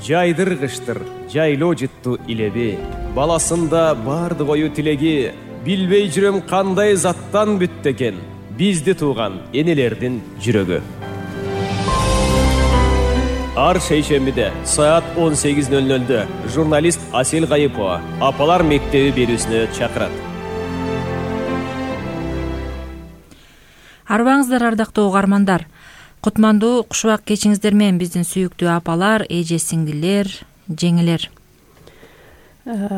жайдыргычтыр жайлоо жытту илеби, баласында бардык ою тилеги, билбей жүрөм кандай заттан бүттү экен бизди тууган энелердин жүрөгү. Ар шейшембиде саат 18:00 журналист Асель Кайыпова Апалар мектеби берүүсүнө чакырат. Арбаңыздар ардактуу угармандар. Кутмандуу кушубак кечиңиздер менен биздин сүйүктүү апалар, эже сиңдилер, жеңилер.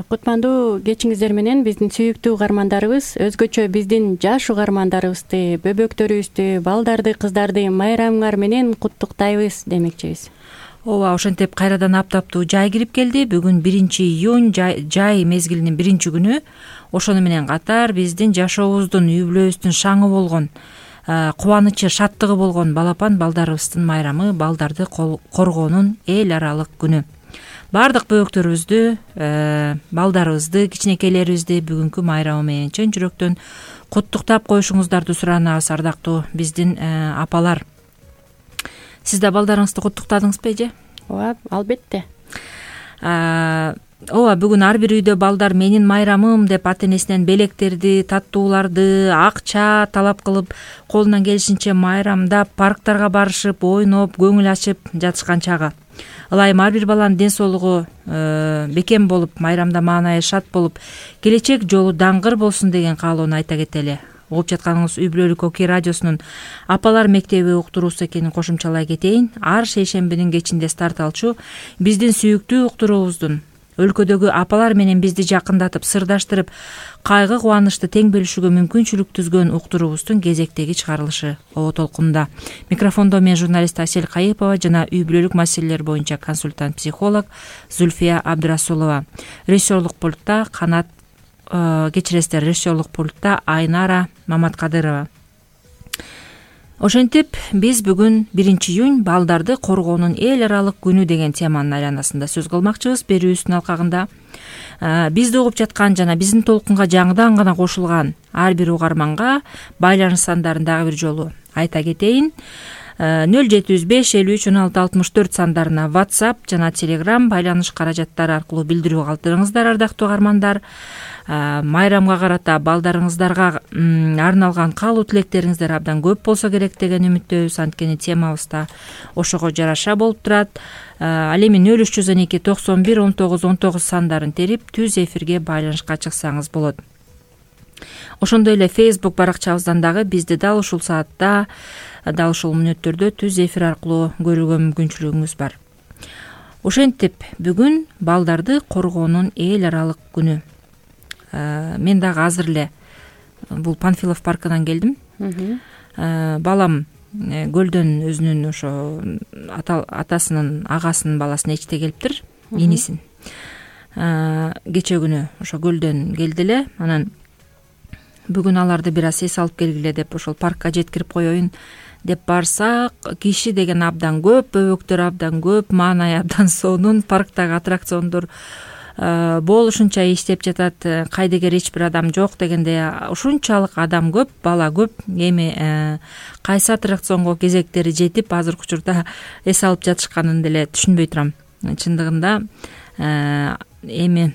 Кутмандуу кечиңиздер менен биздин сүйүктүү угармандарыбыз, өзгөчө биздин жаш угармандарыбызды, бөбөктөрүбүздү, балдарды, кыздарды майрамыңар менен куттуктайбыз демекчибиз. Ооба, ошентип кайрадан аптаптуу жай кирип келди. Бүгүн 1-июнь жай мезгилинин 1-күнү. Ошону менен катар биздин жашообуздун, үй-бүлөбүздүн шаңы болгон, кубанычы, шаттыгы болгон балапан балдарыбыздын майрамы, балдарды коргоонун эл аралык күнү. Бардык бөбөктөрүбүздү, балдарыбызды, кичинекейлерибизди бүгүнкү майрамы менен чын жүрөктөн куттуктап коюшуңуздарды суранабыз, ардактуу биздин апалар. Сиз да балдарыңызды куттуктадыңызбы, эже? Ооба, албетте. Ооба, бүгүн ар бир үйдө балдар менин майрамым деп ата-энесинен белектерди, таттууларды, акча талап кылып, колунан келишинче майрамдап, парктарга барышып, ойноп, көңүл ачып жатышкан чагы. Ылайым ар бир баланын ден соолугу бекем болуп, майрамда маанайы шат болуп, келечек жолу даңгыр болсун деген каалоону айта кетели. Угуп жатканыңыз үй бүлөлүк Оки радиосунун Апалар мектеби уктуруусу экенин кошумчалай кетейин. Ар шейшембинин кечинде старт алчу биздин сүйүктүү уктуруубуздун өлкөдөгү апалар менен бизди жакындатып, сырдаштырып, кайгы кубанычты тең бөлүшүүгө мүмкүнчүлүк түзгөн уктуруубуздун кезектеги чыгарылышы Оо толкунда. Микрофондо мен журналист Асель Кайыпова жана үй бүлөлүк маселелер боюнча консультант психолог Зульфия Абдрасулова. Режиссерлук пультта режиссерлук пультта Айнара Маматкадырова. Ошентип, биз бүгүн 1-июнь балдарды коргоонун эл аралык күнү деген теманын айланасында сөз кылмакчыбыз. Берүүбүздүн алкагында бизди угуп жаткан жана биздин толкунга жаңыдан гана кошулган ар бир угарманга байланыш сандарын дагы бир жолу айта кетейин. 0755531664 сандарына WhatsApp жана Telegram байланыш каражаттары аркылуу билдирүү калтырыңыздар, ардактуу угармандар. Майрамга карата балдарыңыздарга арналган каалоо тилектериңиздер абдан көп болсо керек деген үмүттөбүз. Анткени темабыз да ошого жараша болуп турат. Ал эми 0312 91 19 19 сандарын терип түз эфирге байланышка чыксаңыз болот. Ошондой эле Facebook баракчабыздан дагы бизди дал ушул саатта, дал ушул мүнөттөрдө түз эфир аркылуу көрүүгө мүмкүнчүлүгүңүз бар. Ошентип, бүгүн балдарды коргоонун эл аралык күнү. Мен дагы азыр эле бул Панфилов паркынан келдим. Балам көлдөн өзүнүн ошо атасынын агасынын баласын эчте келиптир, инисин. Кече күнү ошо көлдөн келди эле. Анан бүгүн аларды бир аз эс алып келгиле деп ошол паркка жеткирип коеюн деп барсак, киши деген абдан көп, бөбөктөр абдан көп, маанайы абдан сонун, парктагы аттракциондор болушунча иштеп жатат, кайдыгер эч бир адам жок дегенде ушунчалык адам көп, бала көп. Эми кайсы аттракционго кезектери жетип азыркы учурда эс алып жатышканын деле түшүнбөй турам. Чындыгында эми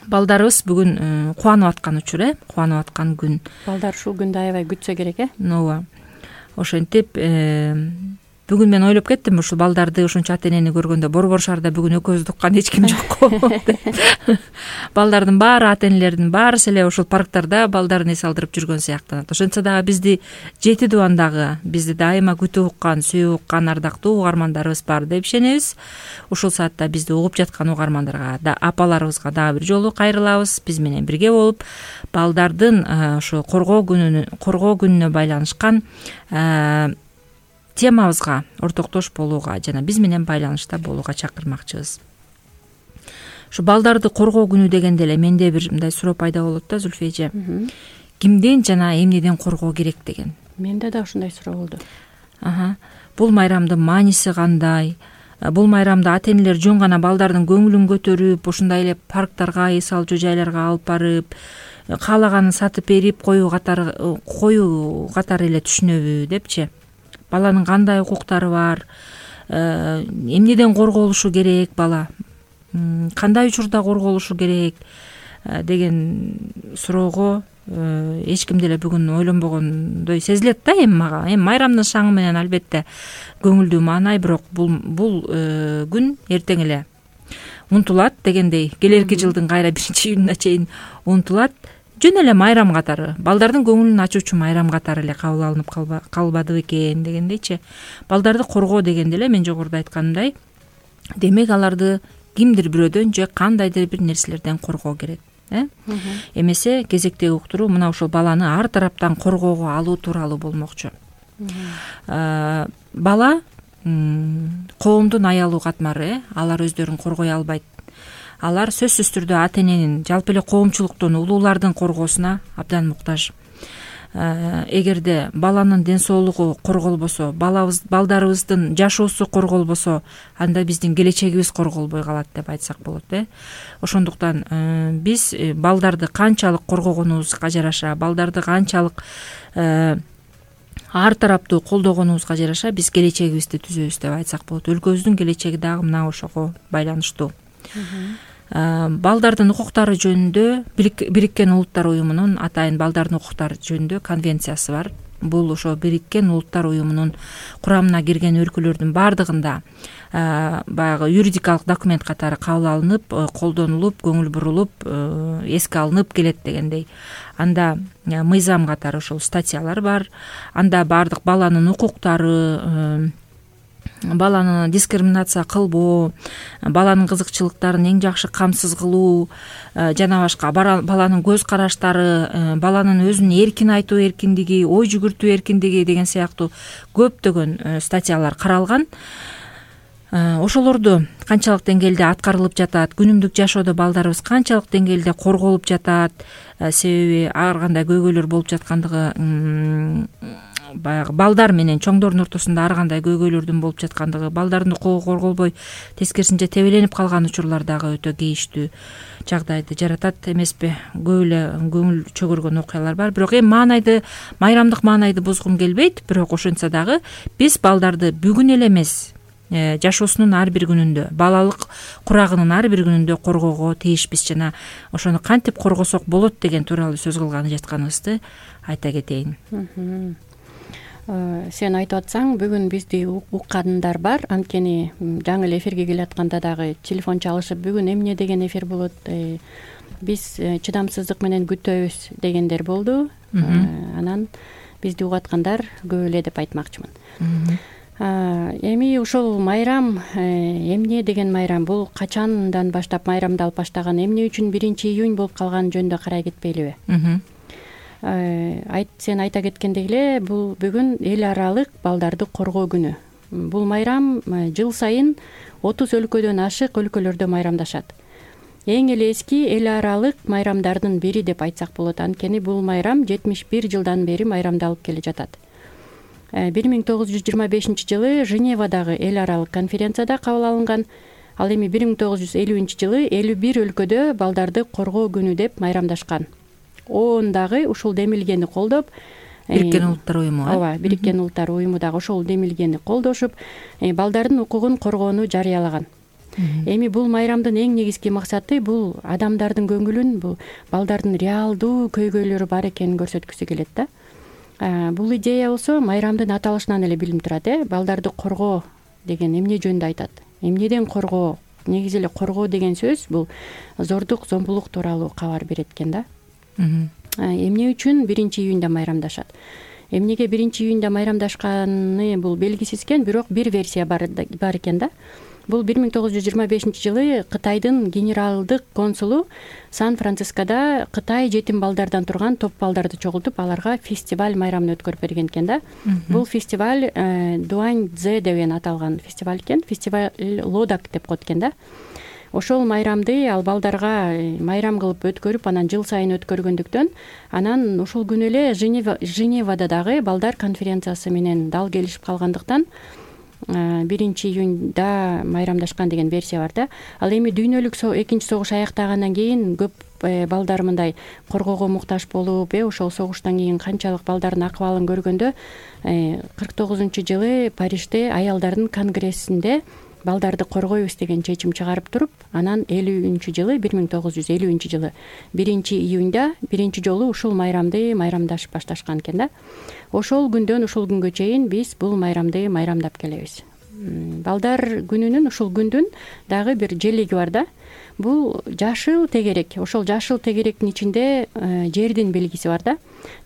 балдарыбыз бүгүн кубанып аткан учур, кубанып аткан күн. Балдар ушул күндү аябай күтсө керек, Ооба. Ошентип, бүгүн мен ойлоп кеттим, ушул балдарды ушунча ата-энени көргөндө Борбор шаарда бүгүн экөөбүздү уккан эч ким жокко. Балдардын баары, ата-энелердин баарысы эле ушул парктарда балдарын эс алдырып жүргөн сыяктанат. Ошентсе дагы бизди жети дубандагы, бизди дайыма күтүп уккан, сүйүп уккан ардактуу угармандарыбыз бар деп ишенебиз. Ушул саатта бизди угуп жаткан угармандарга да, апаларыбызга дагы бир жолу кайрылабыз. Биз менен бирге болуп, балдардын ошо коргоо күнүнө байланышкан темабызга ортоктош болууга жана биз менен байланышта болууга чакырмакчыбыз. Ушу балдарды коргоо күнү дегенде эле менде бир мындай суроо пайда болот да, Зульфия эже. Кимден жана эмнеден коргоо керек деген. Менде да ушундай суроо болду. Бул майрамдын мааниси кандай? Бул майрамда ата-энелер жөн гана балдардын көңүлүн көтөрүп, ушундай эле парктарга, эс алчу жайларга алып барып, каалаганын сатып берип коюу катары эле түшүнөбү депчи. Баланын кандай укуктары бар, эмнеден корголушу керек бала, кандай учурда корголушу керек деген суроого эч ким деле бүгүн ойлонбогондой сезилет да эми мага. Эми майрамдын шаңы менен албетте көңүлдүү маанай, бирок бул күн эртең эле унутулат дегендей, келерки жылдын кайра 1-июнуна чейин унутулат. Жөн эле майрам катары, балдардын көңүлүн ачуучу майрам катары эле кабыл алынып калбады бекен дегендейчи. Балдарды коргоо дегенде эле мен жогоруда айтканымдай, демек аларды кимдир бирөөдөн же кандайдыр бир нерселерден коргоо керек. Эмесе кезектеги уктуруу мына ушул баланы ар тараптан коргоого алуу тууралуу болмокчу. Бала коомдун аялуу катмары, алар өздөрүн коргой албайт. Алар сөзсүз түрдө ата эненин, жалпы эле коомчулуктун, улуулардын коргоосуна абдан муктаж. Эгерде баланын ден соолугу корголбосо, балдарыбыздын жашоосу корголбосо, анда биздин келечегибиз корголбой калат деп айтсак болот. Ошондуктан биз балдарды канчалык коргогонубузга жараша, балдарды канчалык ар тараптуу колдогонубузга жараша биз келечегибизди түзөбүз деп айтсак болот. Өлкөбүздүн келечеги дагы мына ошого байланыштуу. Балдардын укуктары жөнүндө Бириккен Улуттар уюмунун атайын балдардын укуктары жөнүндө конвенциясы бар. Бул ошо Бириккен Улуттар уюмунун курамына кирген өлкөлөрдүн баардыгында баягы юридикалык документ катары кабыл алынып, колдонулуп, көңүл бурулуп, эске алынып келет дегендей. Анда мыйзам катары ошол статьялар бар. Анда баардык баланын укуктары, баланы дискриминация кылбоо, баланын кызыкчылыктарын эң жакшы камсыз кылуу жана башка, баланын көз караштары, баланын өзүн эркин айтуу эркиндиги, ой жүгүртүү эркиндиги деген сыяктуу көптөгөн статьялар каралган. Ошолорду канчалык деңгээлде аткарылып жатат, күнүмдүк жашоодо балдарыбыз канчалык деңгээлде корголуп жатат, себеби ар кандай көйгөйлөр болуп жаткандыгы, баягы балдар менен чоңдордун ортосунда ар кандай көйгөйлөрдүн болуп жаткандыгы, балдардын укугу корголбой тескерисинче тебеленип калган учурлар дагы өтө кейиштүү жагдайды жаратат эмеспи. Көп эле көңүл чөгөргөн окуялар бар. Бирок эми маанайды, майрамдык маанайды бузгум келбейт. Бирок ошентсе дагы биз балдарды бүгүн эле эмес, жашоосунун ар бир күнүндө, балалык курагынын ар бир күнүндө коргоого тийишпиз. Жана ошону кантип коргосок болот деген тууралуу сөз кылганы жатканыбызды айта кетейин. Сен айтып атсаң, бүгүн бизди уккандар бар. Анткени жаңы эле эфирге келатканда дагы телефон чалышып, бүгүн эмне деген эфир болот, биз чыдамсыздык менен күтөбүз дегендер болду. Анан бизди угаткандар көп эле деп айтмакчымын. Эми ушул майрам эмне деген майрам? Бул качандан баштап майрамдалып баштаган? Эмне үчүн 1-июнь болуп калган жөнүндө карай кетпейлиби? Сен айта кеткендей эле, бул бүгүн эл аралык балдарды коргоо күнү. Бул майрам жыл сайын 30 өлкөдөн ашык өлкөлөрдө майрамдашат. Эң эле эски эл аралык майрамдардын бири деп айтсак болот. Анткени бул майрам 71 жылдан бери майрамдалып келе жатат. 1925-жылы Женевадагы эл аралык конференцияда кабыл алынган. Ал эми 1950-жылы 51 өлкөдө балдарды коргоо күнү деп майрамдашкан. Дагы ушул демилгени колдоп, Бириккен Улуттар уюму. Ооба, Бириккен Улуттар уюму дагы ошол демилгени колдошуп, балдардын укугун коргоону жарыялаган. Эми бул майрамдын эң негизги максаты бул адамдардын көңүлүн, бул балдардын реалдуу көйгөйлөрү бар экенин көрсөткүсү келет да. Бул идея болсо майрамдын аталышынан эле билинип турат. Балдарды коргоо деген эмне жөнүндө айтат? Эмнеден коргоо? Негизи эле коргоо деген сөз бул зордук, зомбулук тууралуу кабар берет экен да. Эмне үчүн 1-июнда майрамдашат? Эмнеге 1-июнда майрамдашканы бул белгисиз экен, бирок бир версия бар экен да. Бул 1925-жылы Кытайдын генералдык консулу Сан-Францискода Кытай жетим балдардан турган топ балдарды чогултуп, аларга фестиваль майрамын өткөрүп берген экен да. Бул фестиваль Дуаньцзэ деп аталган фестиваль экен. Фестиваль Лодак деп коет экен да. Ошол майрамды ал балдарга майрам кылып өткөрүп, анан жыл сайын өткөргөндүктөн, анан ушул күнү эле Женевада дагы балдар конференциясы менен дал келишип калгандыктан, июньда майрамдашкан деген версия бар да. Ал эми дүйнөлүк экинчи согуш аяктагандан кийин көп балдар мындай коргоого муктаж болуп, ошол согуштан кийин канчалык балдардын акыбалын көргөндө 49-жылы Парижде аялдардын конгрессинде балдарды коргойбуз деген чечим чыгарып туруп, анан 1950 жылы 1-июньда биринчи жолу ушул майрамды майрамдашып башташкан экен да. Ошол күндөн ушул күнгө чейин биз бул майрамды майрамдап келебиз. Балдар күнүнүн, ушул күндүн дагы бир желеги бар да. Бул жашыл тегерек. Ошол жашыл тегеректин ичинде жердин белгиси бар да.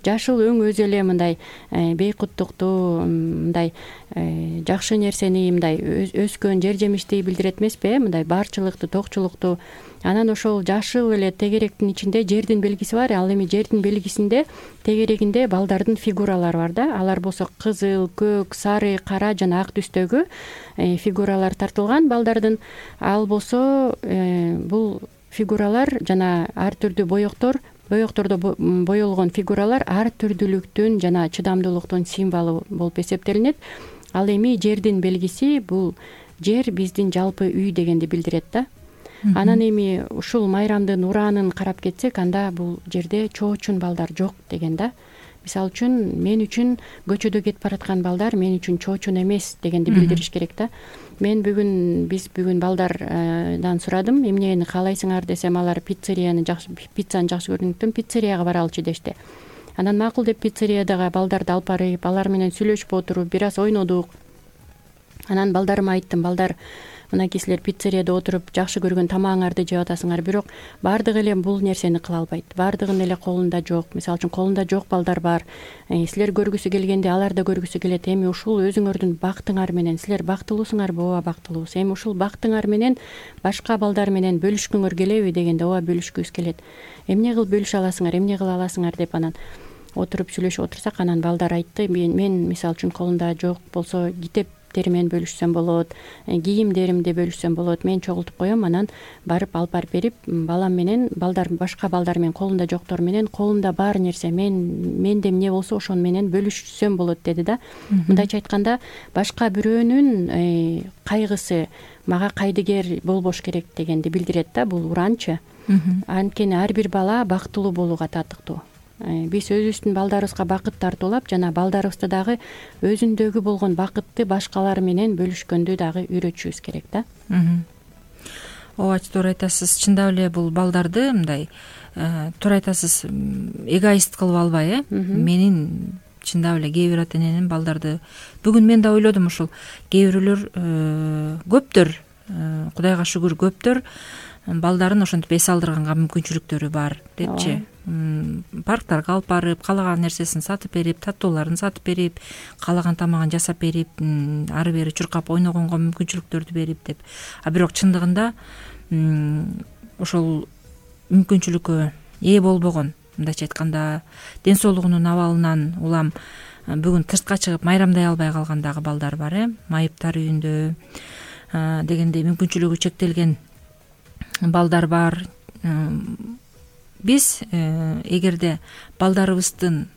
Жашыл өң өзү эле мындай бейкуттукту, мындай жакшы нерсени, мындай өскөн жер жемишти билдирет эмеспи, мындай барчылыкту, токчулукту. Анан ошол жашыл эле тегеректин ичинде жердин белгиси бар. Ал эми жердин белгисинде тегерегинде балдардын фигуралары бар да. Алар болсо кызыл, көк, сары, кара жана ак түстөгү фигуралар тартылган балдардын. Ал болсо бул фигуралар жана ар түрдүү боектордо боелгон фигуралар ар түрдүүлүктүн жана чыдамдуулуктун символу болуп эсептелинет. Ал эми жердин белгиси бул жер биздин жалпы үй дегенди билдирет да. Анан эми ушул майрамдын ураанын карап кетсек, анда бул жерде чоочун балдар жок деген да. Мисалы үчүн мен үчүн көчөдө кетип бараткан балдар мен үчүн чоочун эмес дегенди билдириш керек да. Биз бүгүн балдардан сурадым, эмнени каалайсыңар десем, алар пиццаны жакшы көргөндүктөн пиццерияга баралычы дешти. Анан макул деп пиццериядагы балдарды алып барып, алар менен сүйлөшүп отуруп, бир аз ойнодук. Анан балдарыма айттым, балдар, мынакей силер пиццерияда отуруп жакшы көргөн тамагыңарды жеп атасыңар, бирок баардыгы эле бул нерсени кыла албайт. Баардыгынын эле колунда жок. Мисалы үчүн колунда жок балдар бар. Силер көргүсү келгенде алар да көргүсү келет. Эми ушул өзүңөрдүн бактыңар менен силер бактылуусуңарбы? Ооба, бактылуубуз. Эми ушул бактыңар менен башка балдар менен бөлүшкүңөр келеби дегенде, ооба, бөлүшкүбүз келет. Эмне кылып бөлүшө аласыңар, эмне кыла аласыңар деп анан отуруп сүйлөшүп отурсак, анан балдар айтты, мен мисалы үчүн колумда жок болсо китептери менен бөлүшсөм болот, кийимдеримди бөлүшсөм болот, мен чогултуп коем, анан барып алып барып берип, балам менен башка балдар менен колунда жоктор менен колумда бар нерсе менде эмне болсо ошону менен бөлүшсөм болот деди да. Мындайча айтканда, башка бирөөнүн кайгысы мага кайдыгер болбош керек дегенди билдирет да бул ураанчы. Анткени ар бир бала бактылуу болууга татыктуу. Биз өзүбүздүн балдарыбызга бакыт тартуулап, жана балдарыбызды дагы өзүндөгү болгон бакытты башкалар менен бөлүшкөндү дагы үйрөтүшүбүз керек да. Ооба, туура айтасыз. Чындап эле бул балдарды мындай туура айтасыз, эгоист кылып албай, менин чындап эле кээ бир ата эненин балдарды бүгүн мен да ойлодум, ушул кээ бирөөлөр көптөр, Кудайга шүгүр, көптөр балдарын ошентип эс алдырганга мүмкүнчүлүктөрү бар депчи. Парктарга алып барып, каалаган нерсесин сатып берип, таттууларын сатып берип, каалаган тамагын жасап берип, ары бери чуркап ойногонго мүмкүнчүлүктөрдү берип деп. А бирок чындыгында ошол мүмкүнчүлүккө ээ болбогон, мындайча айтканда, ден соолугунун абалынан улам бүгүн тыртка чыгып майрамдай албай калган дагы балдар бар, майыптар үйүндө дегендей мүмкүнчүлүгү чектелген балдар бар. Биз эгерде балдарыбыздын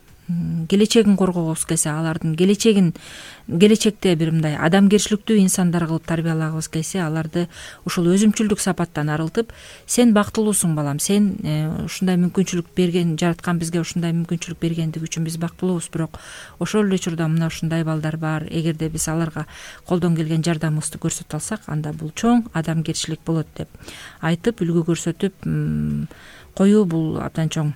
келечегин коргогубуз келсе, алардын келечекте бир мындай адамгерчиликтүү инсандар кылып тарбиялагыбыз келсе, аларды ушул өзүмчүлдүк сапаттан арылтып, сен бактылуусуң балам, сен ушундай мүмкүнчүлүк берген, жараткан бизге ушундай мүмкүнчүлүк бергендиги үчүн биз бактылуубуз, бирок ошол эле учурда мына ушундай балдар бар. Эгерде биз аларга колдон келген жардамыбызды көрсөтө алсак, анда бул чоң адамгерчилик болот деп айтып, үлгү көрсөтүп коюу бул абдан чоң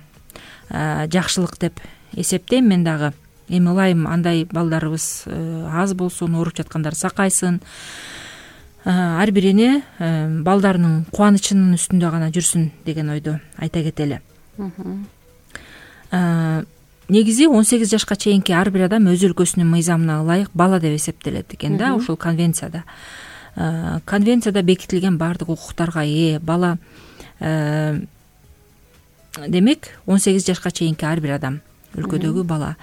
жакшылык деп эсептейм мен дагы. Эми ылайым андай балдарыбыз аз болсун, ооруп жаткандар сакайсын, ар бирине балдарынын кубанычынын үстүндө гана жүрсүн деген ойду айта кетели. Негизи 18 жашка чейинки ар бир адам өз өлкөсүнүн мыйзамына ылайык бала деп эсептелет экен да, ушул конвенцияда. Конвенцияда бекитилген баардык укуктарга ээ бала, демек 18 жашка чейинки ар бир адам, өлкөдөгү бала.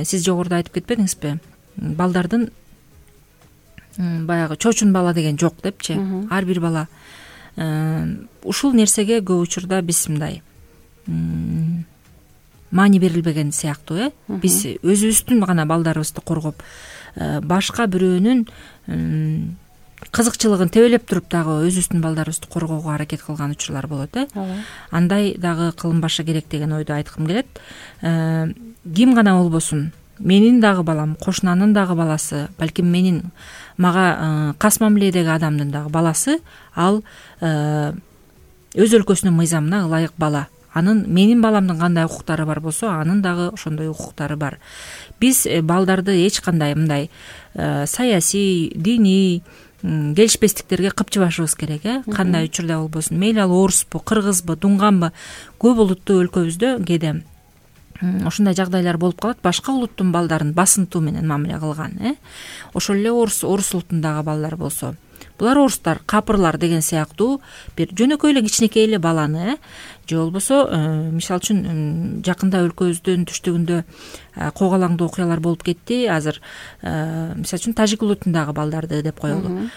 Сиз жогоруда айтып кетпедиңизби? Балдардын баягы чоочун бала деген жок депчи. Ар бир бала. Ушул нерсеге көп учурда биз мындай маани берилбеген сыяктуу, Биз өзүбүздүн гана балдарыбызды коргоп, башка бирөөнүн кызыкчылыгын тебелеп туруп дагы өзүбүздүн балдарыбызды коргоого аракет кылган учурлар болот. Андай дагы кылынбашы керек деген ойду айткым келет. Ким гана болбосун, менин дагы балам, кошунанын дагы баласы, балким менин мага кас мамиледеги адамдын дагы баласы, ал өз өлкөсүнүн мыйзамына ылайык бала. Анын менин баламдын кандай укуктары бар болсо, анын дагы ошондой укуктары бар. Биз балдарды эч кандай мындай саясий, диний келишпестиктерге кыпчыбашыбыз керек. Кандай учурда болбосун, мейли ал оруспу, кыргызбы, дуңганбы, көп улуттуу өлкөбүздө кээде ошондой жагдайлар болуп калат. Башка улуттун балдарын басынтуу менен мамиле кылган. Ошол эле орус улутундагы балдар болсо, булар орустар, капырлар деген сыяктуу бир жөнөкөй эле кичинекей эле баланы же болбосо мисалы үчүн жакында өлкөбүздүн түштүгүндө когалаңдуу окуялар болуп кетти. Азыр мисалы үчүн тажик улутундагы балдарды деп коелу.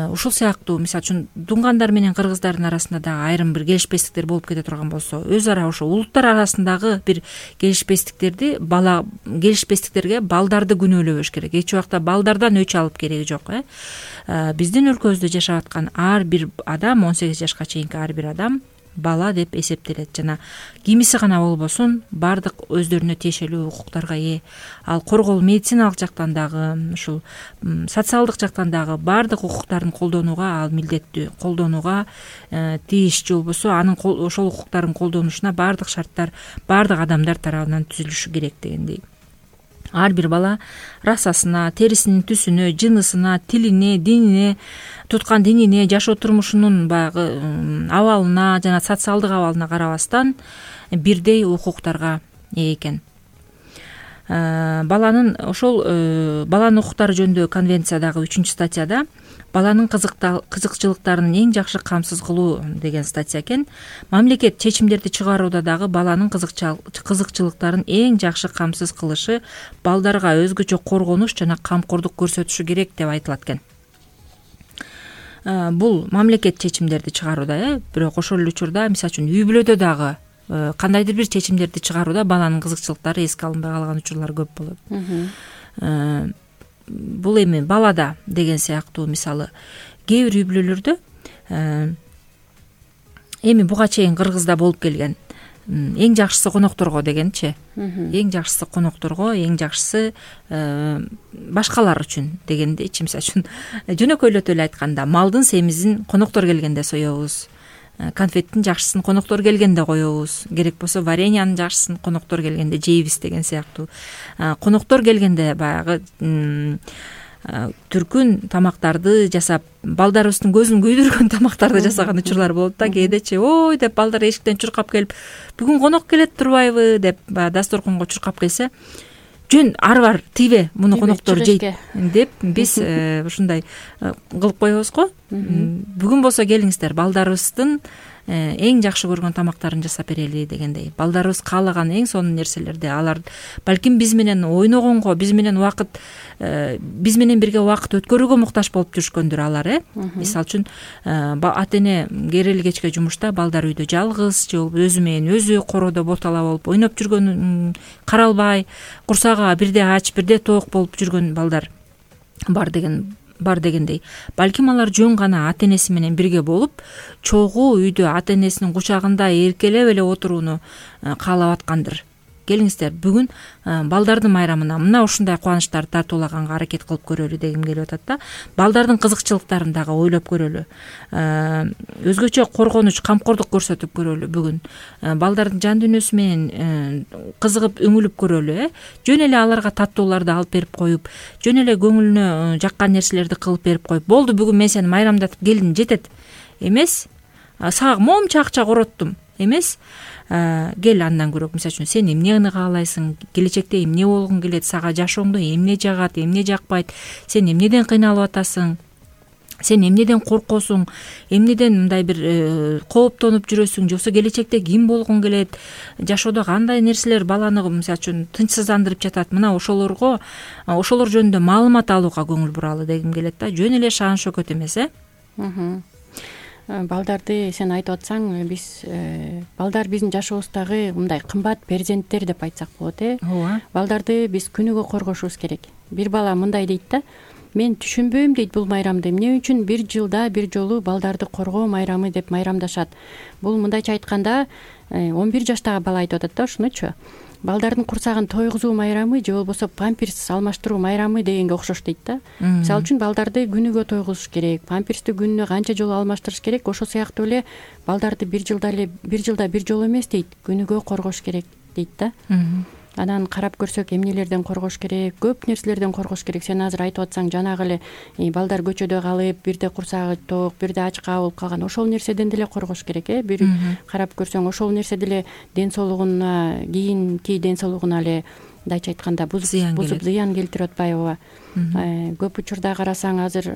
Ушул сыяктуу мисалы үчүн дуңгандар менен кыргыздардын арасында дагы айрым бир келишпестиктер болуп кете турган болсо, өз ара ошо улуттар арасындагы бир келишпестиктерге балдарды күнөөлөбөш керек. Эч убакта балдардан өч алып кереги жок. Биздин өлкөбүздө жашап аткан ар бир адам, 18 жашка чейинки ар бир адам бала деп эсептелет. Жана кимиси гана болбосун баардык өздөрүнө тиешелүү укуктарга ээ. Ал коргоо медициналык жактан дагы, ушул социалдык жактан дагы баардык укуктарын колдонууга ал милдеттүү, колдонууга тийиш же болбосо анын ошол укуктарын колдонушуна баардык шарттар баардык адамдар тарабынан түзүлүшү керек дегендей. Ар бир бала расасына, терисинин түсүнө, жынысына, тилине, динине, туткан динине, жашоо турмушунун баягы абалына жана социалдык абалына карабастан бирдей укуктарга ээ экен. Баланын укуктары жөнүндө конвенциядагы 3-статьяда баланын кызыкчылыктарын эң жакшы камсыз кылуу деген статья экен. Мамлекет чечимдерди чыгарууда дагы баланын кызыкчылыктарын эң жакшы камсыз кылышы, балдарга өзгөчө коргонуч жана камкордук көрсөтүшү керек деп айтылат экен. Бул мамлекет чечимдерди чыгарууда, бирок ошол эле учурда мисалы үчүн үй бүлөдө дагы кандайдыр бир чечимдерди чыгарууда баланын кызыкчылыктары эске алынбай калган учурлар көп болот. Бул эми балада деген сыяктуу мисалы кээ бир үй бүлөлөрдө эми буга чейин Кыргызда болуп келген эң жакшысы конокторго дегенчи. Эң жакшысы конокторго, эң жакшысы башкалар үчүн дегендейчи. Мисалы үчүн жөнөкөйлөтүп эле айтканда, малдын семизин коноктор келгенде соебуз, конфеттин жакшысын коноктор келгенде коебуз, керек болсо вареньянын жакшысын коноктор келгенде жейбиз деген сыяктуу. Коноктор келгенде баягы түркүн тамактарды жасап, балдарыбыздын көзүн күйдүргөн тамактарды жасаган учурлар болот да. Кээдечи ой деп балдар эшиктен чуркап келип, бүгүн конок келет турбайбы деп дасторконго чуркап келсе, жөн ары бар тийбе, муну коноктор жейт деп биз ушундай кылып коебуз го. Бүгүн болсо келиңиздер, балдарыбыздын эң жакшы көргөн тамактарын жасап берели дегендей. Балдарыбыз каалаган эң сонун нерселерди алар балким биз менен ойногонго, биз менен бирге убакыт өткөрүүгө муктаж болуп жүрүшкөндүр алар. Мисалы үчүн ата эне керели кечке жумушта, балдар үйдө жалгыз же өзү менен өзү короодо ботала болуп ойноп жүргөнүн каралбай, курсагы бирде ач, бирде тоок болуп жүргөн балдар бар дегендей. Балким алар жөн гана ата энеси менен бирге болуп, чогуу үйдө ата энесинин кучагында эркелеп эле отурууну каалап аткандыр. Келиңиздер, бүгүн балдардын майрамына мына ушундай кубанычтарды тартуулаганга аракет кылып көрөлү дегим келип атат да. Балдардын кызыкчылыктарын дагы ойлоп көрөлү. Өзгөчө коргонуч, камкордук көрсөтүп көрөлү бүгүн. Балдардын жан дүйнөсү менен кызыгып, өңүлүп көрөлү. Жөн эле аларга таттууларды алып берип коюп, жөн эле көңүлүнө жаккан нерселерди кылып берип коюп, болду бүгүн мен сени майрамдатып келдим жетет эмес. Сага момча акча короттум эмес. Кел андан көрөк, мисалы үчүн сен эмнени каалайсың, келечекте эмне болгуң келет, сага жашооңдо эмне жагат, эмне жакпайт, сен эмнеден кыйналып атасың, сен эмнеден коркосуң, эмнеден мындай бир кооптонуп жүрөсүң, же болбосо келечекте ким болгуң келет, жашоодо кандай нерселер баланы мисалы үчүн тынчсыздандырып жатат. Мына ошолор жөнүндө маалымат алууга көңүл буралы дегим келет да. Жөн эле шаан шөкөт эмес. Балдарды сен айтып атсаң, балдар биздин жашообуздагы мындай кымбат перзенттер деп айтсак болот. Балдарды биз күнүгө коргошубуз керек. бир бала мындай дейт да, мен түшүнбөйм дейт бул майрамды, эмне үчүн бир жылда бир жолу балдарды коргоо майрамы деп майрамдашат. Бул мындайча айтканда 11 жаштагы бала айтып атат да ушунучу. Балдардын курсагын тойгузуу майрамы же болбосо памперс алмаштыруу майрамы дегенге окшош дейт да. Мисалы үчүн балдарды күнүгө тойгузуш керек, памперсти күнүнө канча жолу алмаштырыш керек, ошол сыяктуу эле балдарды бир жылда бир жолу эмес дейт, күнүгө коргош керек дейт да. Анан карап көрсөк эмнелерден коргош керек, көп нерселерден коргош керек. Сен азыр айтып атсаң, жанагы эле балдар көчөдө калып, бирде курсагы ток, бирде ачка болуп калган, ошол нерседен деле коргош керек. Бир карап көрсөң, ошол нерсе деле ден соолугуна, кийинки ден соолугуна эле мындайча айтканда бузуп зыян келтирип атпайбы. Көп учурда карасаң, азыр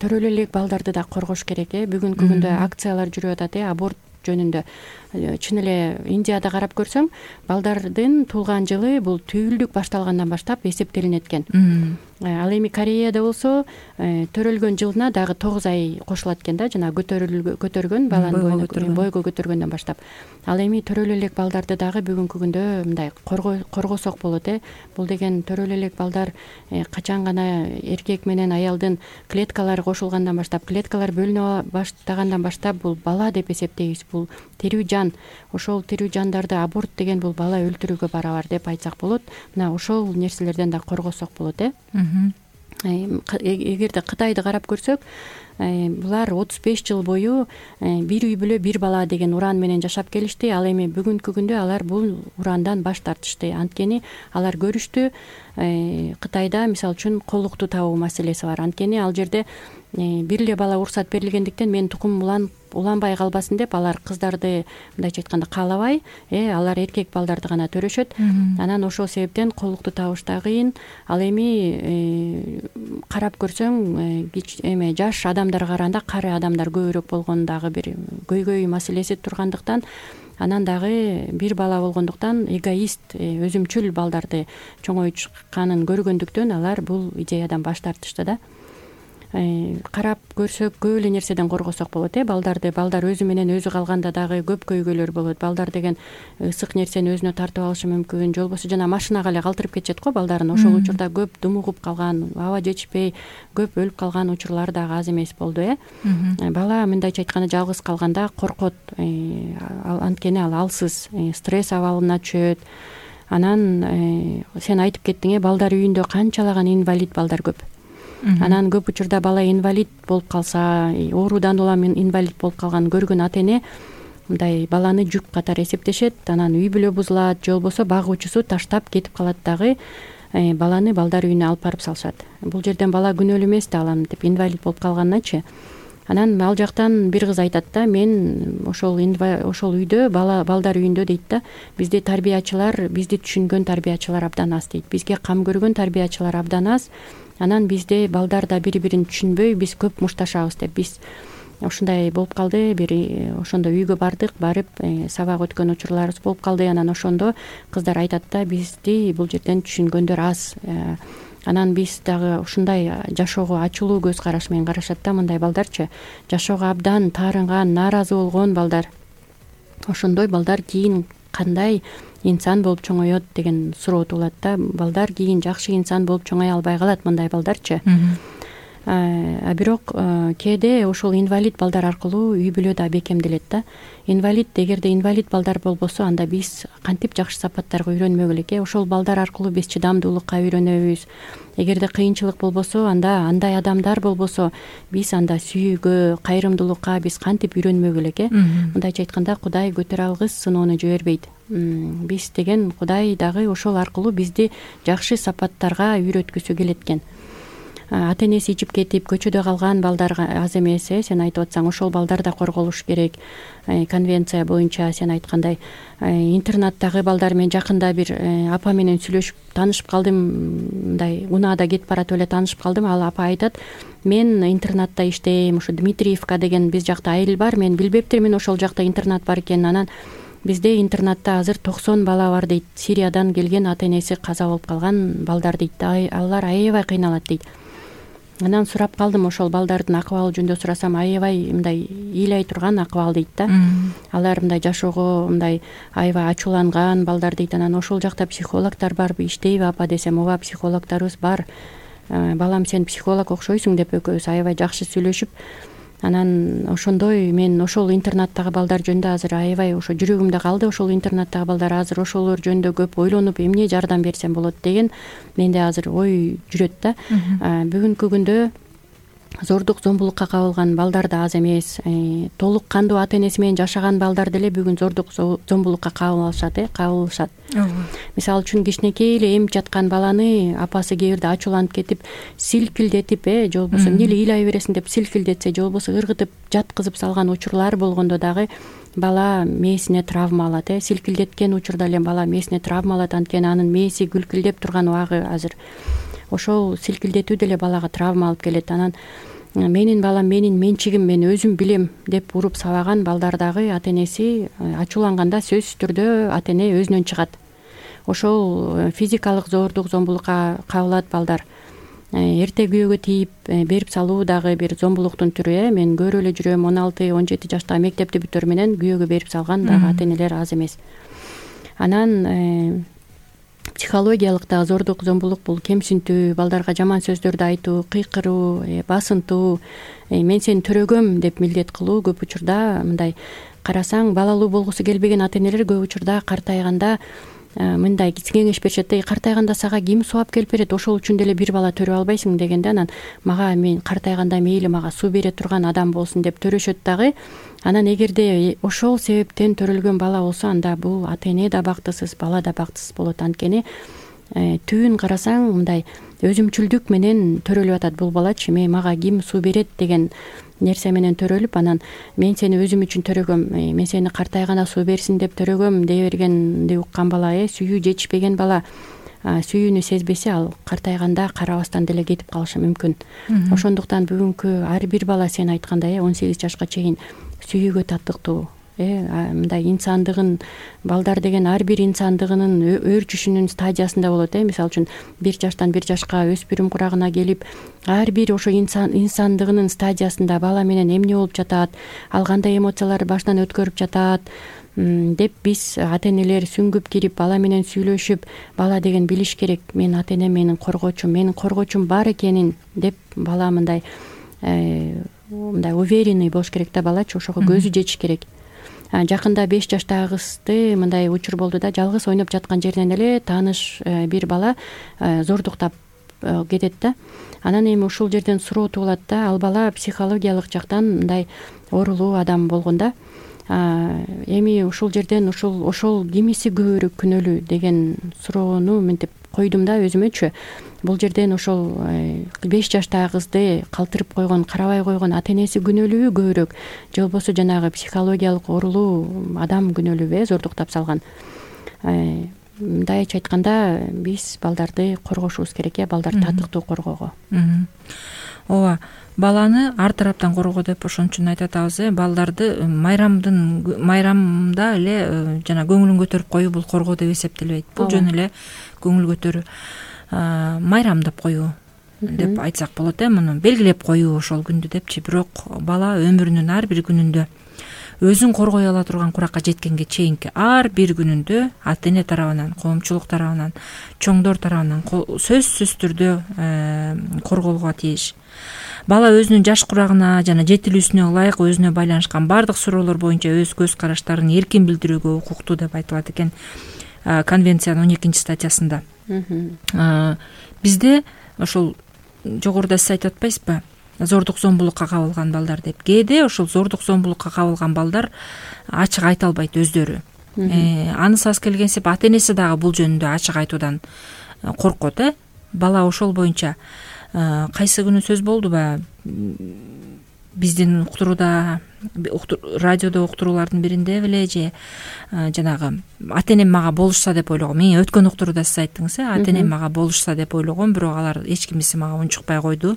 төрөлө элек балдарды да коргош керек. Бүгүнкү күндө акциялар жүрүп атат, аборт жөнүндө. Чын эле Индияда карап көрсөң, балдардын туулган жылы бул түйүлдүк башталгандан баштап эсептелинет экен. Ал эми Кореяда болсо төрөлгөн жылына дагы 9 ай кошулат экен да, жана көтөргөн баланын бойго көтөргөндөн баштап. Ал эми төрөлө элек балдарды дагы бүгүнкү күндө мындай коргосок болот. Бул деген төрөлө элек балдар качан гана эркек менен аялдын клеткалары кошулгандан баштап, клеткалар бөлүнө баштагандан баштап бул бала деп эсептейбиз. Бул тирүү жан. Ошол тирүү жандарды аборт деген бул бала өлтүрүүгө барабар деп айтсак болот. Мына ошол нерселерден да коргосок болот. Эгерде Кытайды карап көрсөк, булар 35 жыл бою бир үй бүлө бир бала деген уран менен жашап келишти. Ал эми бүгүнкү күндө алар бул урандан баш тартышты. Анткени алар көрүштү, Кытайда мисалы үчүн колукту табуу маселеси бар. Анткени ал жерде бир эле бала уруксат берилгендиктен мен тукум уланбай калбасын деп алар кыздарды мындайча айтканда каалабай, алар эркек балдарды гана төрөшөт. Анан ошол себептен колукту табыш да кыйын. Ал эми карап көрсөң, жаш адамдарга караганда кары адамдар көбүрөөк болгон дагы бир көйгөй маселеси тургандыктан, анан дагы бир бала болгондуктан эгоист, өзүмчүл балдарды чоңойтканын көргөндүктөн алар бул идеядан баш тартышты да. Карап көрсөк, көп эле нерседен коргосок болот. Балдар өзү менен өзү калганда дагы көп көйгөйлөр болот. Балдар деген ысык нерсени өзүнө тартып алышы мүмкүн, же болбосо жана машинага эле калтырып кетишет го балдарын. Ошол учурда көп думугуп калган, аба жетишпей көп өлүп калган учурлар дагы аз эмес болду. Бала мындайча айтканда жалгыз калганда коркот, анткени ал алсыз, стресс абалына түшөт. Анан сен айтып кеттиң, балдар үйүндө канчалаган инвалид балдар көп. Анан көп учурда бала инвалид болуп калса, оорудан улам инвалид болуп калган көргөн ата эне мындай баланы жүк катары эсептешет. Анан үй бүлө бузулат, же болбосо багуучусу таштап кетип калат дагы, баланы балдар үйүнө алып барып салышат. Бул жерден бала күнөөлүү эмес да, алам деп инвалид болуп калганначы. Анан ал жактан бир кыз айтат да, мен ошол үйдө, балдар үйүндө дейт да, бизде тарбиячылар, бизди түшүнгөн тарбиячылар абдан аз дейт. Бизге кам көргөн тарбиячылар абдан аз. Анан бизде балдар да бири-бирин түшүнбөй, биз көп мушташабыз деп. Биз ушундай болуп калды, ошондо үйгө барып сабак өткөн учурларыбыз болуп калды. Анан ошондо кыздар айтат да, бизди бул жерден түшүнгөндөр аз. Анан биз дагы ушундай жашоого ачуулуу көз караш менен карашат да, мындай балдарчы. Жашоого абдан таарынган, нааразы болгон балдар. Ошондой балдар кийин кандай инсан болуп чоңоет деген суроо туулат да. Балдар кийин жакшы инсан болуп чоңое албай калат, мындай балдарчы. Бирок кээде ошол инвалид балдар аркылуу үй бүлө да бекемделет да. Эгерде инвалид балдар болбосо, анда биз кантип жакшы сапаттарга үйрөнмөк элек. Ошол балдар аркылуу биз чыдамдуулукка үйрөнөбүз. Эгерде кыйынчылык болбосо, анда андай адамдар болбосо, биз анда сүйүүгө, кайрымдуулукка биз кантип үйрөнмөк элек. Мындайча айтканда, Кудай көтөрө алгыс сыноону жибербейт. Биз деген Кудай дагы ошол аркылуу бизди жакшы сапаттарга үйрөткүсү келет экен. Ата энеси ичип кетип көчөдө калган балдар аз эмес. Сен айтып атсаң, ошол балдар да корголуш керек. Конвенция боюнча сен айткандай, интернаттагы балдар мен жакында бир апа менен сүйлөшүп таанышып калдым. Мындай унаада кетип баратып эле таанышып калдым. Ал апа айтат, мен интернатта иштейм, ушу Дмитриевка деген биз жакта айыл бар. Мен билбептирмин ошол жакта интернат бар экенин. Анан бизде интернатта азыр 90 бала бар дейт. Сириядан келген ата энеси каза болуп калган балдар дейт. Алар аябай кыйналат дейт. Анан сурап калдым, ошол балдардын акыбалы жөнүндө сурасам, аябай мындай ыйлай турган акыбал дейт да. Алар мындай жашоого мындай аябай ачууланган балдар дейт. Анан ошол жакта психологдор барбы, иштейби апа десем, ооба психологдорубуз бар. Балам, сен психолог окшойсуң деп экөөбүз аябай жакшы сүйлөшүп, анан ошондой мен ошол интернаттагы балдар жөнүндө азыр аябай ошо жүрөгүмдө калды. Ошол интернаттагы балдар азыр ошолор жөнүндө көп ойлонуп, эмне жардам берсем болот деген менде азыр ой жүрөт да. Бүгүнкү күндө зордук зомбулукка кабылган балдар да аз эмес. Толук кандуу ата энеси менен жашаган балдар деле бүгүн зордук зомбулукка кабылышат. Мисалы үчүн кичинекей эле эмип жаткан баланы апасы кээ бирде ачууланып кетип силкилдетип, же болбосо эмне эле ыйлай бересиң деп силкилдетсе, же болбосо ыргытып жаткызып салган учурлар болгондо дагы бала мээсине травма алат. Силкилдеткен учурда эле бала мээсине травма алат, анткени анын мээси гүлкүлдеп турган убагы азыр. Ошол силкилдетүү деле балага травма алып келет. Анан менин балам, менин менчигим, мен өзүм билем деп уруп сабаган балдардагы ата энеси ачууланганда сөзсүз түрдө ата эне өзүнөн чыгат. Ошол физикалык зордук зомбулукка кабылат балдар. Эрте күйөөгө тийип берип салуу дагы бир зомбулуктун түрү. Мен көрүп эле жүрөм, 16-17 жаштагы мектепти бүтөр менен күйөөгө берип салган дагы ата энелер аз эмес. Анан психологиялык дагы зордук зомбулук бул кемсинтүү, балдарга жаман сөздөрдү айтуу, кыйкыруу, басынтуу, мен сени төрөгөм деп милдет кылуу. Көп учурда мындай карасаң, балалуу болгусу келбеген ата энелер көп учурда картайганда мындай кеңеш беришет. Картайганда сага ким субап келип берет, ошол үчүн деле бир бала төрөп албайсың дегенде, анан мага мен картайганда мейли мага суу бере турган адам болсун деп төрөшөт дагы. Анан эгерде ошол себептен төрөлгөн бала болсо, анда бул ата эне да бактысыз, бала да бактысыз болот. Анткени түбүн карасаң мындай өзүмчүлдүк менен төрөлүп атат бул балачы. Мага ким суу берет деген нерсе менен төрөлүп, анан мен сени өзүм үчүн төрөгөм, мен сени картайганда суу берсин деп төрөгөм дей бергенди уккан бала, сүйүү жетишпеген бала, сүйүүнү сезбесе, ал картайганда карабастан деле кетип калышы мүмкүн. Ошондуктан бүгүнкү ар бир бала сен айткандай 18 жашка чейин сүйүүгө татыктуу, мындай инсандыгын, балдар деген ар бир инсандыгынын өөрчүшүнүн стадиясында болот. Мисалы үчүн 1 жаштан 1 жашка өспүрүм курагына келип, ар бир ошо инсандыгынын стадиясында бала менен эмне болуп жатат, ал кандай эмоцияларды башынан өткөрүп жатат деп биз ата энелер сүңгүп кирип, бала менен сүйлөшүп, бала деген билиш керек, мен ата энем менин коргоочум бар экенин деп бала мындай уверенный болуш керек да балачы, ошого көзү жетиш керек. Жакында 5 жаштагы кызды мындай учур болду да, жалгыз ойноп жаткан жеринен эле тааныш бир бала зордуктап кетет да. Анан эми ушул жерден суроо туулат да, ал бала психологиялык жактан мындай оорулуу адам болгон да. Эми ушул жерден ошол кимиси көбүрөөк күнөөлүү деген суроону мынтип койдум да өзүмөчү. Бул жерден ошол 5 жаштагы кызды калтырып койгон, карабай койгон ата энеси күнөөлүүбү көбүрөөк, же болбосо жанагы психологиялык оорулуу адам күнөөлүүбү зордуктап салган. Мындайча айтканда, биз балдарды коргошубуз керек, балдарды татыктуу коргоого. Ооба, баланы ар тараптан коргоо деп ошон үчүн айтып атабыз. Балдарды майрамда эле жана көңүлүн көтөрүп коюу бул коргоо деп эсептелбейт. Бул жөн эле көңүл көтөрүү, майрамдап коюу деп айтсак болот. Муну белгилеп коюу ошол күндү депчи. Бирок бала өмүрүнүн ар бир күнүндө өзүн коргой ала турган куракка жеткенге чейинки ар бир күнүндө ата эне тарабынан, коомчулук тарабынан, чоңдор тарабынан сөзсүз түрдө корголууга тийиш. Бала өзүнүн жаш курагына жана жетилүүсүнө ылайык өзүнө байланышкан бардык суроолор боюнча өз көз караштарын эркин билдирүүгө укуктуу деп айтылат экен конвенциянын 12-статьясында. Бизде ошол жогоруда сиз айтып атпайсызбы, зордук зомбулукка кабылган балдар деп. Кээде ошол зордук зомбулукка кабылган балдар ачык айта албайт өздөрү. Анысыбыз келгенсип ата энеси дагы бул жөнүндө ачык айтуудан коркот. Бала ошол боюнча кайсы күнү сөз болдубу, биздин уктурууда, радиодо уктуруулардын биринде беле же жанагы ата энем мага болушса деп ойлогом. Мен өткөн уктурууда сиз айттыңыз, ата энем мага болушса деп ойлогом, бирок алар эч кимиси мага унчукпай койду.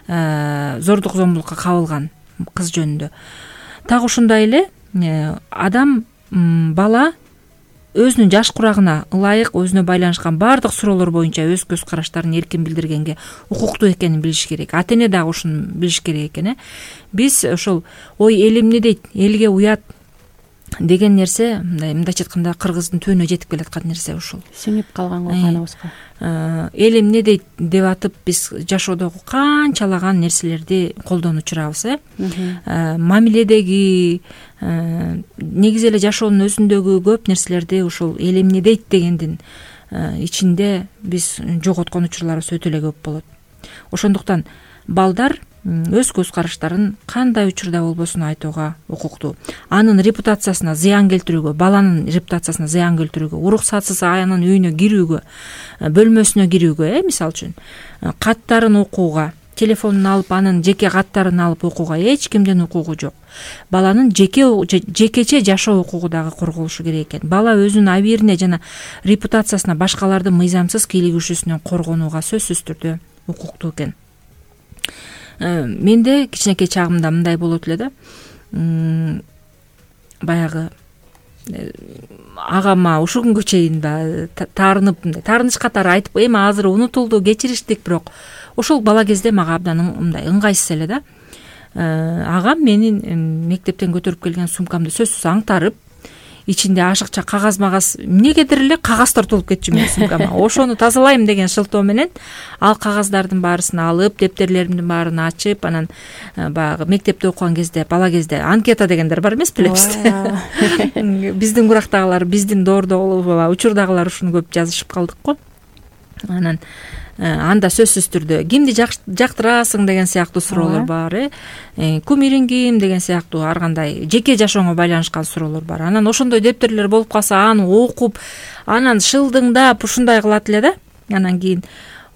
Зордук зомбулукка кабылган кыз жөнүндө. Так ушундай эле адам, бала өзүнүн жаш курагына ылайык өзүнө байланышкан баардык суроолор боюнча өз көз караштарын эркин билдиргенге укуктуу экенин билиш керек. Ата эне дагы ушуну билиш керек экен. Биз ошол ой эл эмне дейт, элге уят деген нерсе мындайча айтканда кыргыздын түбүнө жетип келаткан нерсе ушул. Сиңип калган го каныбызга. Эл эмне дейт деп атып биз жашоодогу канчалаган нерселерди колдонуп жүрабыз. Мамиледеги негизи эле жашоонун өзүндөгү көп нерселерди ушул эл эмне дейт дегендин ичинде биз жоготкон учурларыбыз өтө эле көп болот. Ошондуктан балдар өз көз караштарын кандай учурда болбосун айтууга укуктуу. Анын репутациясына зыян келтирүүгө, баланын репутациясына зыян келтирүүгө, уруксатсыз анын үйүнө кирүүгө, бөлмөсүнө кирүүгө, мисалы үчүн каттарын окууга, телефонун алып анын жеке каттарын алып окууга эч кимдин укугу жок. Баланын жекече жашоо укугу дагы корголушу керек экен. Бала өзүнүн абийирине жана репутациясына башкалардын мыйзамсыз кийлигишүүсүнөн коргонууга сөзсүз түрдө укуктуу экен. Менде кичинекей чагымда мындай болот эле да. Баягы агама ушул күнгө чейин да таарынып, таарыныч катары айтып, эми азыр унутулду, кечириштик, бирок ошол бала кезде мага абдан мындай ыңгайсыз эле да. Агам менин мектептен көтөрүп келген сумкамды сөзсүз аңтарып, ичинде ашыкча кагаз эмнегедир эле кагаздар толуп кетчү менин сумкама. Ошону тазалайм деген шылтоо менен ал кагаздардын баарысын алып, дептерлеримдин баарын ачып, анан баягы мектепте окуган кезде, бала кезде анкета дегендер бар эмес билебизби? Биздин курактагылар, биздин доордогу, учурдагылар ушуну көп жазышып калдык го. Анан анда сөзсүз түрдө кимди жактырасың деген сыяктуу суроолор бар, кумириң ким деген сыяктуу ар кандай жеке жашооңо байланышкан суроолор бар. Анан ошондой дептерлер болуп калса, аны окуп, анан шылдыңдап ушундай кылат эле да. Анан кийин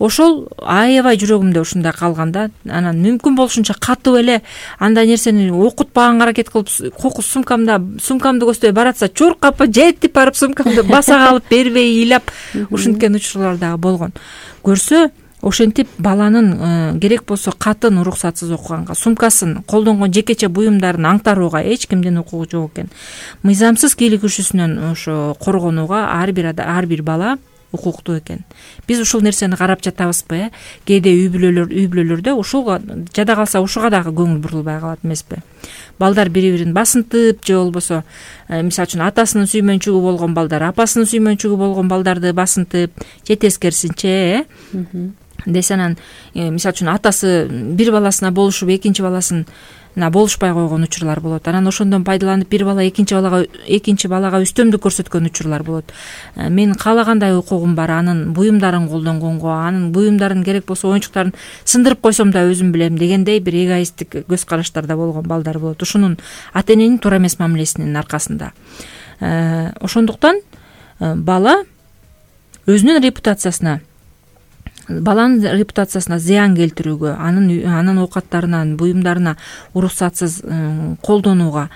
ошол аябай жүрөгүмдө ушундай калганда, анан мүмкүн болушунча катып эле андай нерсени окутпаганга аракет кылып, сумкамды көздөй баратса, чуркап жетип барып сумкамды баса калып бербей ыйлап ушинткен учурлар дагы болгон. Көрсө, ошентип баланын керек болсо катын уруксатсыз окуганга, сумкасын, колдонгон жекече буюмдарын аңтарууга эч кимдин укугу жок экен. Мыйзамсыз кийлигишүүсүнөн ошо коргонууга ар бир бала укуктуу экен. Биз ушул нерсени карап жатабызбы? Кээде үй бүлөлөрдө ушуга жада калса ушуга дагы көңүл бурулбай калат эмеспи? Балдар бири-бирин басынтып, же болбосо, мисалы үчүн атасынын сүймөнчүгү болгон балдар, апасынын сүймөнчүгү болгон балдарды басынтып, же тескерисинче, десе анан мисалы үчүн атасы бир баласына болушуп, экинчи баласына болушпай койгон учурлар болот. Анан ошондон пайдаланып бир бала экинчи балага үстөмдүк көрсөткөн учурлар болот. Менин каалагандай укугум бар, анын буюмдарын колдонгонго, анын буюмдарын керек болсо оюнчуктарын сындырып койсом да өзүм билем дегендей бир эгоисттик көз караштарда болгон балдар болот. Ушунун ата эненин туура эмес мамилесинин аркасында. Ошондуктан баланын репутациясына зыян келтирүүгө, анын оокаттарына, буюмдарына уруксатсыз колдонууга,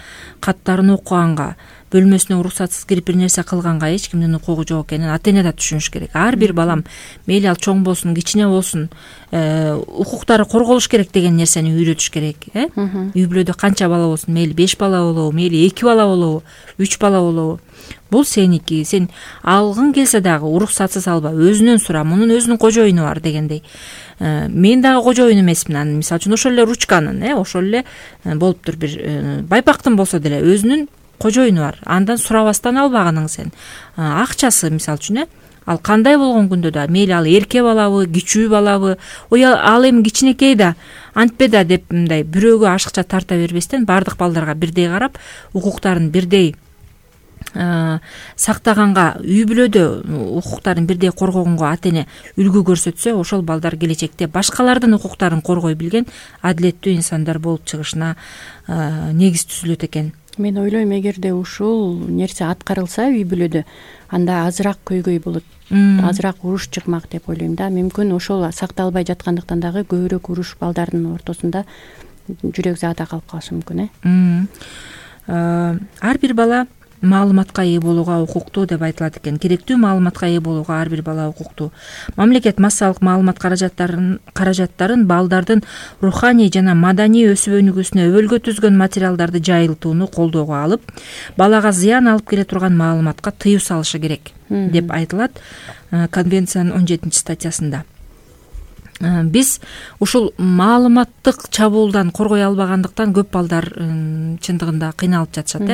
каттарын окуганга, бөлмөсүнө уруксатсыз кирип бир нерсе кылганга эч кимдин укугу жок экенин ата эне да түшүнүш керек. Ар бир балам, мейли ал чоң болсун, кичине болсун, укуктары корголуш керек деген нерсени үйрөтүш керек. Үй бүлөдө канча бала болсун, мейли 5 бала болобу, мейли 2 бала болобу, 3 бала болобу, бул сеники. Сен алгың келсе дагы уруксатсыз алба, өзүнөн сура, мунун өзүнүн кожоюну бар дегендей. Мен дагы кожоюн эмесмин. Анан мисалы үчүн ошол эле ручканын, ошол эле болуптур бир байпактын болсо деле өзүнүн кожоюну бар. Андан сурабастан албаганың сен. Акчасы мисалы үчүн, ал кандай болгон күндө да, мейли ал эрке балабы, кичүү балабы, ал эми кичинекей да, антпе да деп мындай бирөөгө ашыкча тарта бербестен бардык балдарга бирдей карап, укуктарын бирдей сактаганга, үй бүлөдө укуктарын бирдей коргогонго ата эне үлгү көрсөтсө, ошол балдар келечекте башкалардын укуктарын коргой билген адилеттүү инсандар болуп чыгышына негиз түзүлөт экен. Мен ойлойм, эгерде ушул нерсе аткарылса үй бүлөдө, анда азыраак көйгөй болот, азыраак уруш чыкмак деп ойлойм да. Мүмкүн ошол сакталбай жаткандыктан дагы көбүрөөк уруш балдардын ортосунда жүрөк заада калып калышы мүмкүн. Ар бир бала маалыматка ээ болууга укуктуу деп айтылат экен. Керектүү маалыматка ээ болууга ар бир бала укуктуу. Мамлекет массалык маалымат каражаттарын балдардын руханий жана маданий өсүп өнүгүүсүнө өбөлгө түзгөн материалдарды жайылтууну колдоого алып, балага зыян алып келе турган маалыматка тыюу салышы керек деп айтылат конвенциянын 17-статьясында. Биз ушул маалыматтык чабуулдан коргой албагандыктан көп балдар чындыгында кыйналып жатышат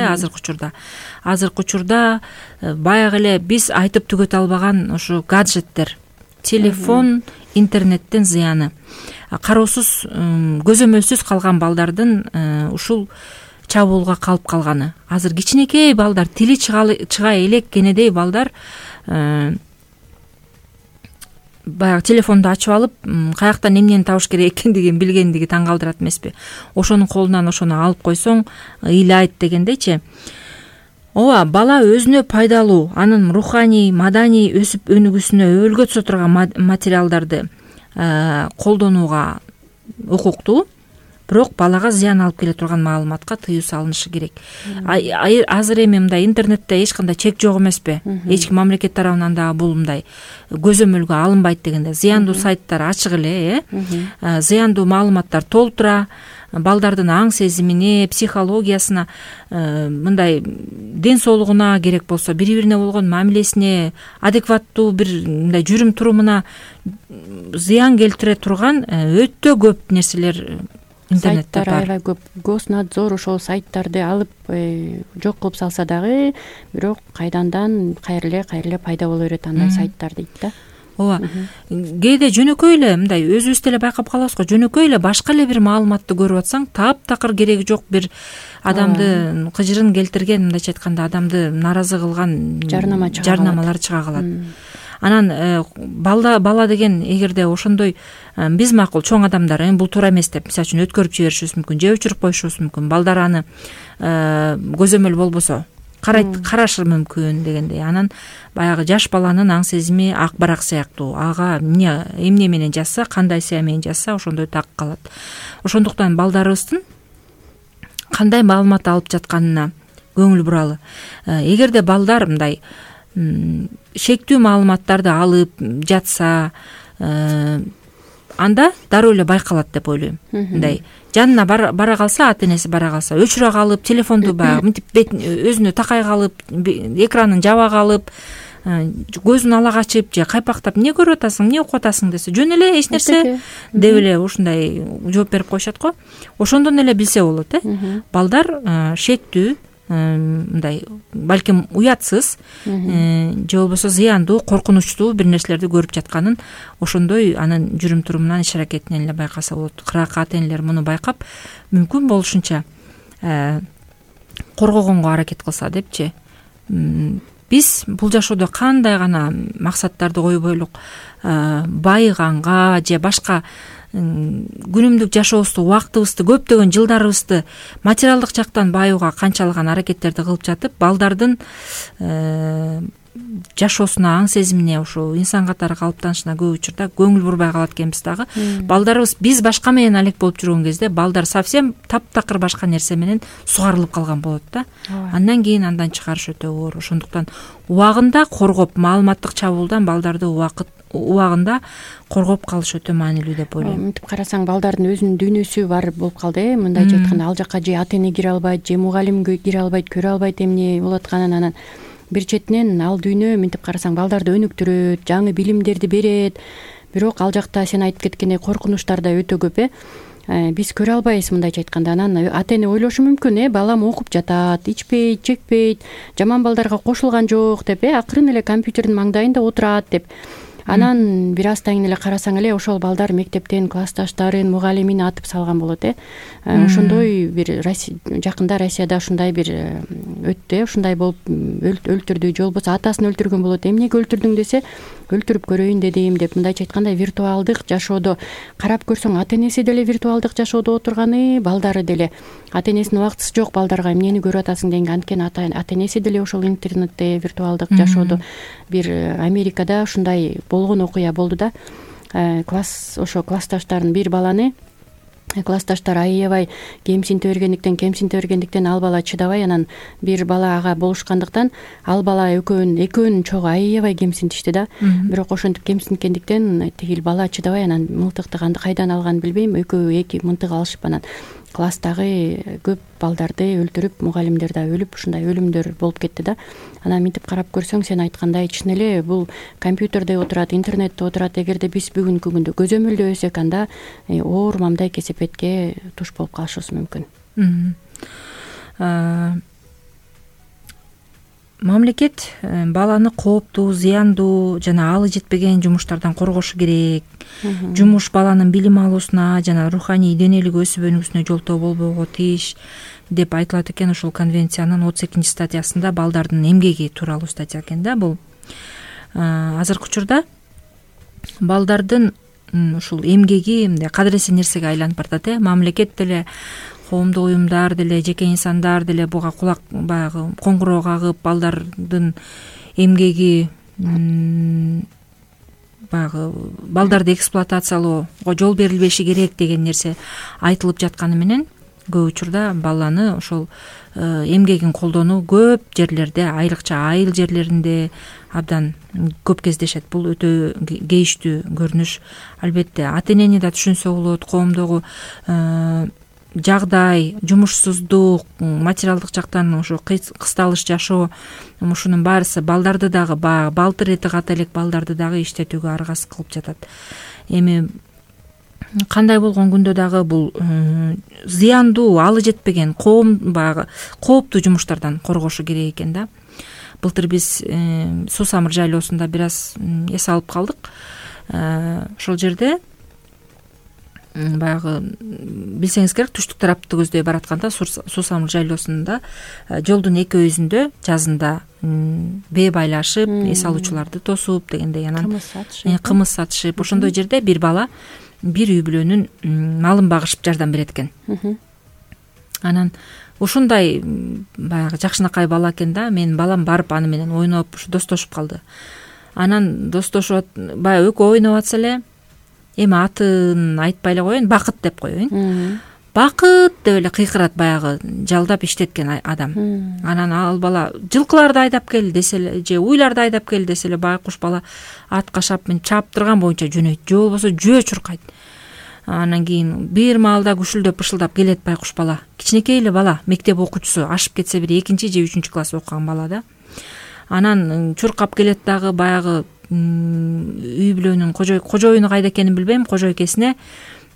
азыркы учурда баягы эле биз айтып түгөтө албаган ушу гаджеттер, телефон, интернеттин зыяны, кароосуз, көзөмөлсүз калган балдардын ушул чабуулга калып калганы. Азыр кичинекей балдар, тили чыга элек кенедей балдар баягы телефонду ачып алып, каяктан эмнени табыш керек экендигин билгендиги таң калтырат эмеспи? Ошонун колунан ошону алып койсоң ыйлайт дегендейчи. Ооба, бала өзүнө пайдалуу, анын руханий, маданий өсүп өнүгүүсүнө өбөлгө түзө турган материалдарды колдонууга укуктуу, бирок балага зыян алып келе турган маалыматка тыюу салынышы керек. Азыр эми мындай интернетте эч кандай чек жок эмеспи? Эч ким мамлекет тарабынан дагы бул мындай көзөмөлгө алынбайт дегенде, зыяндуу сайттар ачык эле, зыяндуу маалыматтар толтура, балдардын аң сезимине, психологиясына, мындай ден соолугуна керек болсо, бири-бирине болгон мамилесине, адекваттуу бир мындай жүрүм турумуна зыян келтире турган өтө көп нерселер интернетте бар. Аябай көп. Госнадзор ошол сайттарды алып жок кылып салса дагы, бирок кайдандан кайра эле пайда боло берет андай сайттар дейт да. Ооба. Кээде жөнөкөй эле мындай өзүбүз деле байкап калабыз го, жөнөкөй эле башка эле бир маалыматты көрүп атсаң, таптакыр кереги жок бир адамды кыжырын келтирген, мындайча айтканда адамды нааразы кылган жарнамалар чыга калат. Анан бала деген эгерде ошондой биз макул чоң адамдар бул туура эмес деп, мисалы үчүн өткөрүп жиберишибиз мүмкүн, же өчүрүп коюшубуз мүмкүн. Балдар аны көзөмөл болбосо карашы мүмкүн дегендей. Анан баягы жаш баланын аң сезими ак барак сыяктуу. Ага эмне менен жазса, кандай сыя менен жазса, ошондой так калат. Ошондуктан балдарыбыздын кандай маалымат алып жатканына көңүл буралы. Эгерде балдар мындай шектүү маалыматтарды алып жатса, анда дароо эле байкалат деп ойлойм. Мындай жанына бара калса, ата-энеси бара калса, өчүрө калып, телефонду баягы мынтип өзүнө такай калып, экранын жаба калып, көзүн ала качып же кайпактап, эмне көрүп атасың, эмне окуп атасың десе, жөн эле эч нерсе деп эле ушундай жооп берип коюшат го. Ошондон эле билсе болот, балдар шектүү, мындай балким уятсыз же болбосо зыяндуу, коркунучтуу бир нерселерди көрүп жатканын ошондой анын жүрүм турумунан, иш аракетинен эле байкаса болот. Кырак ата-энелер муну байкап, мүмкүн болушунча коргогонго аракет кылса депчи. Биз бул жашоодо кандай гана максаттарды койбойлук, байыганга же башка күнүмдүк жашообузду, убактыбызды, көптөгөн жылдарыбызды материалдык жактан байууга канчалаган аракеттерди кылып жатып, балдардын жашоосуна, аң сезимине, ушу инсан катары калыптанышына көп учурда көңүл бурбай калат экенбиз дагы. Балдарыбыз биз башка менен алек болуп жүргөн кезде балдар совсем таптакыр башка нерсе менен сугарылып калган болот да. Андан кийин андан чыгарыш өтө оор. Ошондуктан убагында коргоп, маалыматтык чабуулдан балдарды убагында коргоп калыш өтө маанилүү деп ойлойм. Мынтип карасаң, балдардын өзүнүн дүйнөсү бар болуп калды, мындайча айтканда, ал жака же ата-эне кире албайт, же мугалим кире албайт, көрө албайт эмне болуп атканын. Анан бир четинен ал дүйнө мынтип карасаң балдарды өнүктүрөт, жаңы билимдерди берет, бирок ал жакта сен айтып кеткендей коркунучтар да өтө көп. Биз көрө албайбыз, мындайча айтканда. Анан ата-эне ойлошу мүмкүн, балам окуп жатат, ичпейт, чекпейт, жаман балдарга кошулган жок деп, акырын эле компьютердин маңдайында отурат деп. Анан бир аздан кийин эле карасаң эле ошол балдар мектептен классташтарын, мугалимин атып салган болот. Ошондой бир жакында Россияда ушундай бир өттү, ушундай болуп өлтүрдү, же болбосо атасын өлтүргөн болот. Эмнеге өлтүрдүң десе, өлтүрүп көрөйүн дедим деп, мындайча айтканда виртуалдык жашоодо карап көрсөң, ата-энеси деле виртуалдык жашоодо отурганы, балдары деле. Ата-энесинин убактысы жок балдарга эмнени көрүп атасың дегенге, анткени ата-энеси деле ошол интернетте, виртуалдык жашоодо. Бир Америкада ушундай болгон окуя болду да. Ошо классташтарын бир баланы классташтар аябай кемсинте бергендиктен ал бала чыдабай, анан бир бала ага болушкандыктан ал бала экөөнүн чогу аябай кемсинтишти да. Бирок ошентип кемсинткендиктен тигил бала чыдабай, анан мылтыкты кайдан алганын билбейм, экөө эки мылтык алышып анан класстагы көп балдарды өлтүрүп, мугалимдер да өлүп, ушундай өлүмдөр болуп кетти да. Анан мынтип карап көрсөң, сен айткандай чын эле бул компьютерде отурат, интернетте отурат. Эгерде биз бүгүнкү күндө көзөмөлдөбөсөк, анда оор мамдай кесепетке туш болуп калышыбыз мүмкүн. Мамлекет баланы кооптуу, зыяндуу жана алы жетпеген жумуштардан коргошу керек. Жумуш баланын билим алуусуна жана руханий денелик өсүп өнүгүүсүнө жолтоо болбого тийиш деп айтылат экен. Ушул конвенциянын 32 статьясында балдардын эмгеги тууралуу статья экен да. Бул азыркы учурда балдардын ушул эмгеги мындай кадыресиз нерсеге айланып баратат. Мамлекет деле, коомдук уюмдар деле, жеке инсандар деле буга кулак баягы коңгуроо кагып, балдардын эмгеги баягы балдарды эксплуатациялоого жол берилбеши керек деген нерсе айтылып жатканы менен көп учурда баланы ошол эмгегин колдонуу көп жерлерде, айрыкча айыл жерлеринде абдан көп кездешет. Бул өтө кейиштүү көрүнүш. Албетте ата энени да түшүнсө болот, коомдогу жагдай, жумушсуздук, материалдык жактан ушу кысталыш жашоо, ушунун баарысы балдарды дагы балтыр эти ката элек балдарды дагы иштетүүгө аргасыз кылып жатат. Эми кандай болгон күндө дагы бул зыяндуу, алы жетпеген баягы кооптуу жумуштардан коргошу керек экен да. Былтыр биз Суу Самыр жайлоосунда бир аз эс алып калдык. Ошол жерде баягы билсеңиз керек, түштүк тарапты көздөй баратканда Суу Самыр жайлоосунда жолдун эки өзүндө жазында бээ байлашып, эс алуучуларды тосуп дегендей, анан кымыз сатышып, ошондой жерде бир бала бир үй бүлөнүн малын багышып жардам берет экен. Анан ушундай баягы жакшынакай бала экен да. Менин балам барып аны менен ойноп, достошуп калды. Анан достошуп баягы экөө ойноп атса эле, эми атын айтпай эле коеюн, Бакыт деп коеюн. Бакыт деп эле кыйкырат баягы жалдап иштеткен адам. Анан ал бала жылкыларды айдап кел десе эле, же уйларды айдап кел десе эле, байкуш бала атка чаптырган боюнча жөнөйт, же болбосо жөө чуркайт. Анан кийин бир маалда күшүлдөп бышылдап келет байкуш бала. Кичинекей эле бала, мектеп окуучусу, ашып кетсе бир 2 же 3 класс окуган бала да. Анан чуркап келет дагы баягы үй бүлөнүн кожоюну кайда экенин билбейм, кожойкесине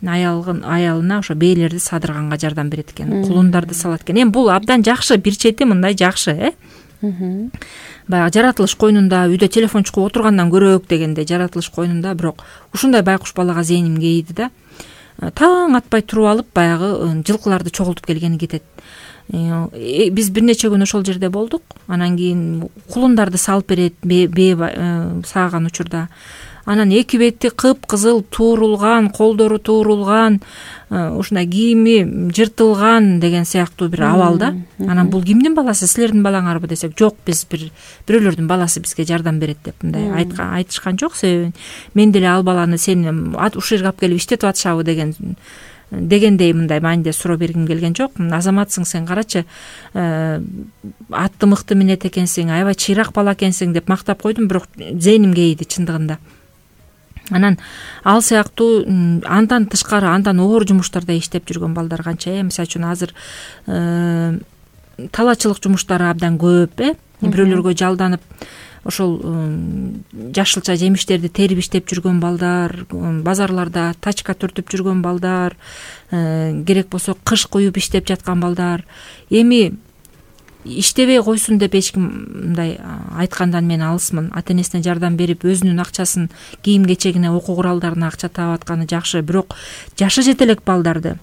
аялына ошо бээлерди садырганга жардам берет экен, кулундарды салат экен. Эми бул абдан жакшы, бир чети мындай жакшы, баягы жаратылыш койнунда үйдө телефон чукуп отургандан көрөөк дегенде жаратылыш койнунда. Бирок ушундай байкуш балага зээним кейди да. Таң атпай туруп алып баягы жылкыларды чогултуп келгени кетет. Биз бир нече күн ошол жерде болдук. Анан кийин кулундарды салып берет бээ сааган учурда. Анан эки бети кыпкызыл туурулган, колдору туурулган, ушундай кийими жыртылган деген сыяктуу бир абал да. Анан бул кимдин баласы, силердин балаңарбы десек, жок, биз бирөөлөрдүн баласы бизге жардам берет деп мындай айтышкан жок. Себеби мен деле ал баланы сени ушул жерге алып келип иштетип атышабы дегендей мындай мааниде суроо бергим келген жок. Азаматсың сен, карачы, атты мыкты минет экенсиң, аябай чыйрак бала экенсиң деп мактап койдум, бирок зээним кейди чындыгында. Анан ал сыяктуу андан тышкары, андан оор жумуштарда иштеп жүргөн балдар канча. Мисалы үчүн азыр талаачылык жумуштары абдан көп, бирөөлөргө жалданып ошол жашылча жемиштерди терип иштеп жүргөн балдар, базарларда тачка түртүп жүргөн балдар, керек болсо кыш куюп иштеп жаткан балдар. Эми иштебей койсун деп эч ким мындай айткандан мен алысмын. Ата энесине жардам берип, өзүнүн акчасын кийим кечегине, окуу куралдарына акча таап атканы жакшы. Бирок жашы жете элек балдарды,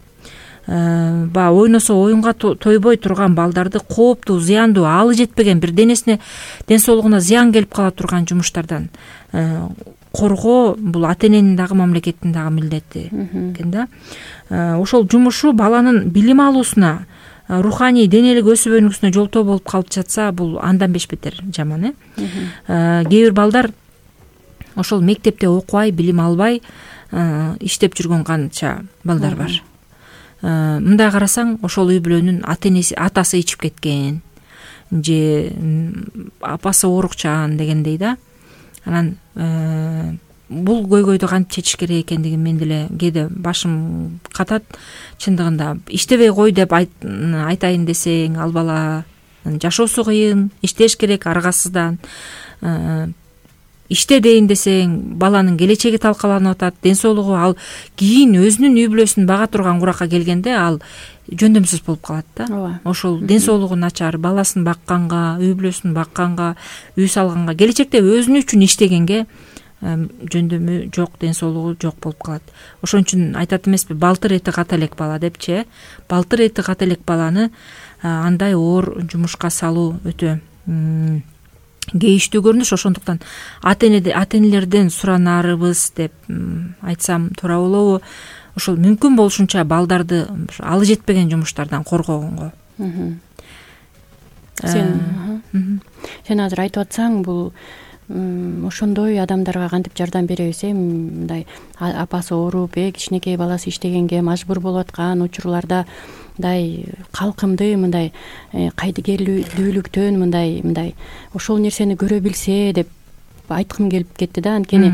ойносо оюнга тойбой турган балдарды кооптуу, зыяндуу, алы жетпеген, бир денесине, ден соолугуна зыян келип кала турган жумуштардан коргоо бул ата эненин дагы, мамлекеттин дагы милдети экен да. Ошол жумушу баланын билим алуусуна, руханий денелик өсүп өнүгүүсүнө жолтоо болуп калып жатса, бул андан бешбетер жаман. Кээ бир балдар ошол мектепте окубай, билим албай иштеп жүргөн канча балдар бар. мындай карасаң ошол үй бүлөнүн атасы ичип кеткен же апасы оорукчан дегендей да. Анан бул көйгөйдү кантип чечиш керек экендигин мен деле кээде башым катат. Чындыгында иштебей кой деп айтайын десең, ал бала жашоосу кыйын, иштеш керек аргасыздан. Иште дейин десең, баланын келечеги талкаланып атат, ден соолугу, ал кийин өзүнүн үй бүлөсүн бага турган куракка келгенде ал жөндөмсүз болуп калат да. Ошол ден соолугу начар, баласын бакканга, үй бүлөсүн бакканга, үй салганга, келечекте өзүнү үчүн иштегенге жөндөмү жок, ден соолугу жок болуп калат. Ошон үчүн айтат эмеспи, балтыр эти ката элек бала депчи. Балтыр эти ката элек баланы андай оор жумушка салуу өтө кейиштүү көрүнүш. Ошондуктан ата-энелерден суранарыбыз деп айтсам туура болобу? Ошол мүмкүн болушунча балдарды алы жетпеген жумуштардан коргогонго. Сен азыр айтып атсаң, бул ошондой адамдарга кантип жардам беребиз? Мындай апасы ооруп, кичинекей баласы иштегенге мажбур болуп аткан учурларда мындай калкымды, мындай кайдыгерлүүлүктөн мындай ошол нерсени көрө билсе деп айткым келип кетти да. Анткени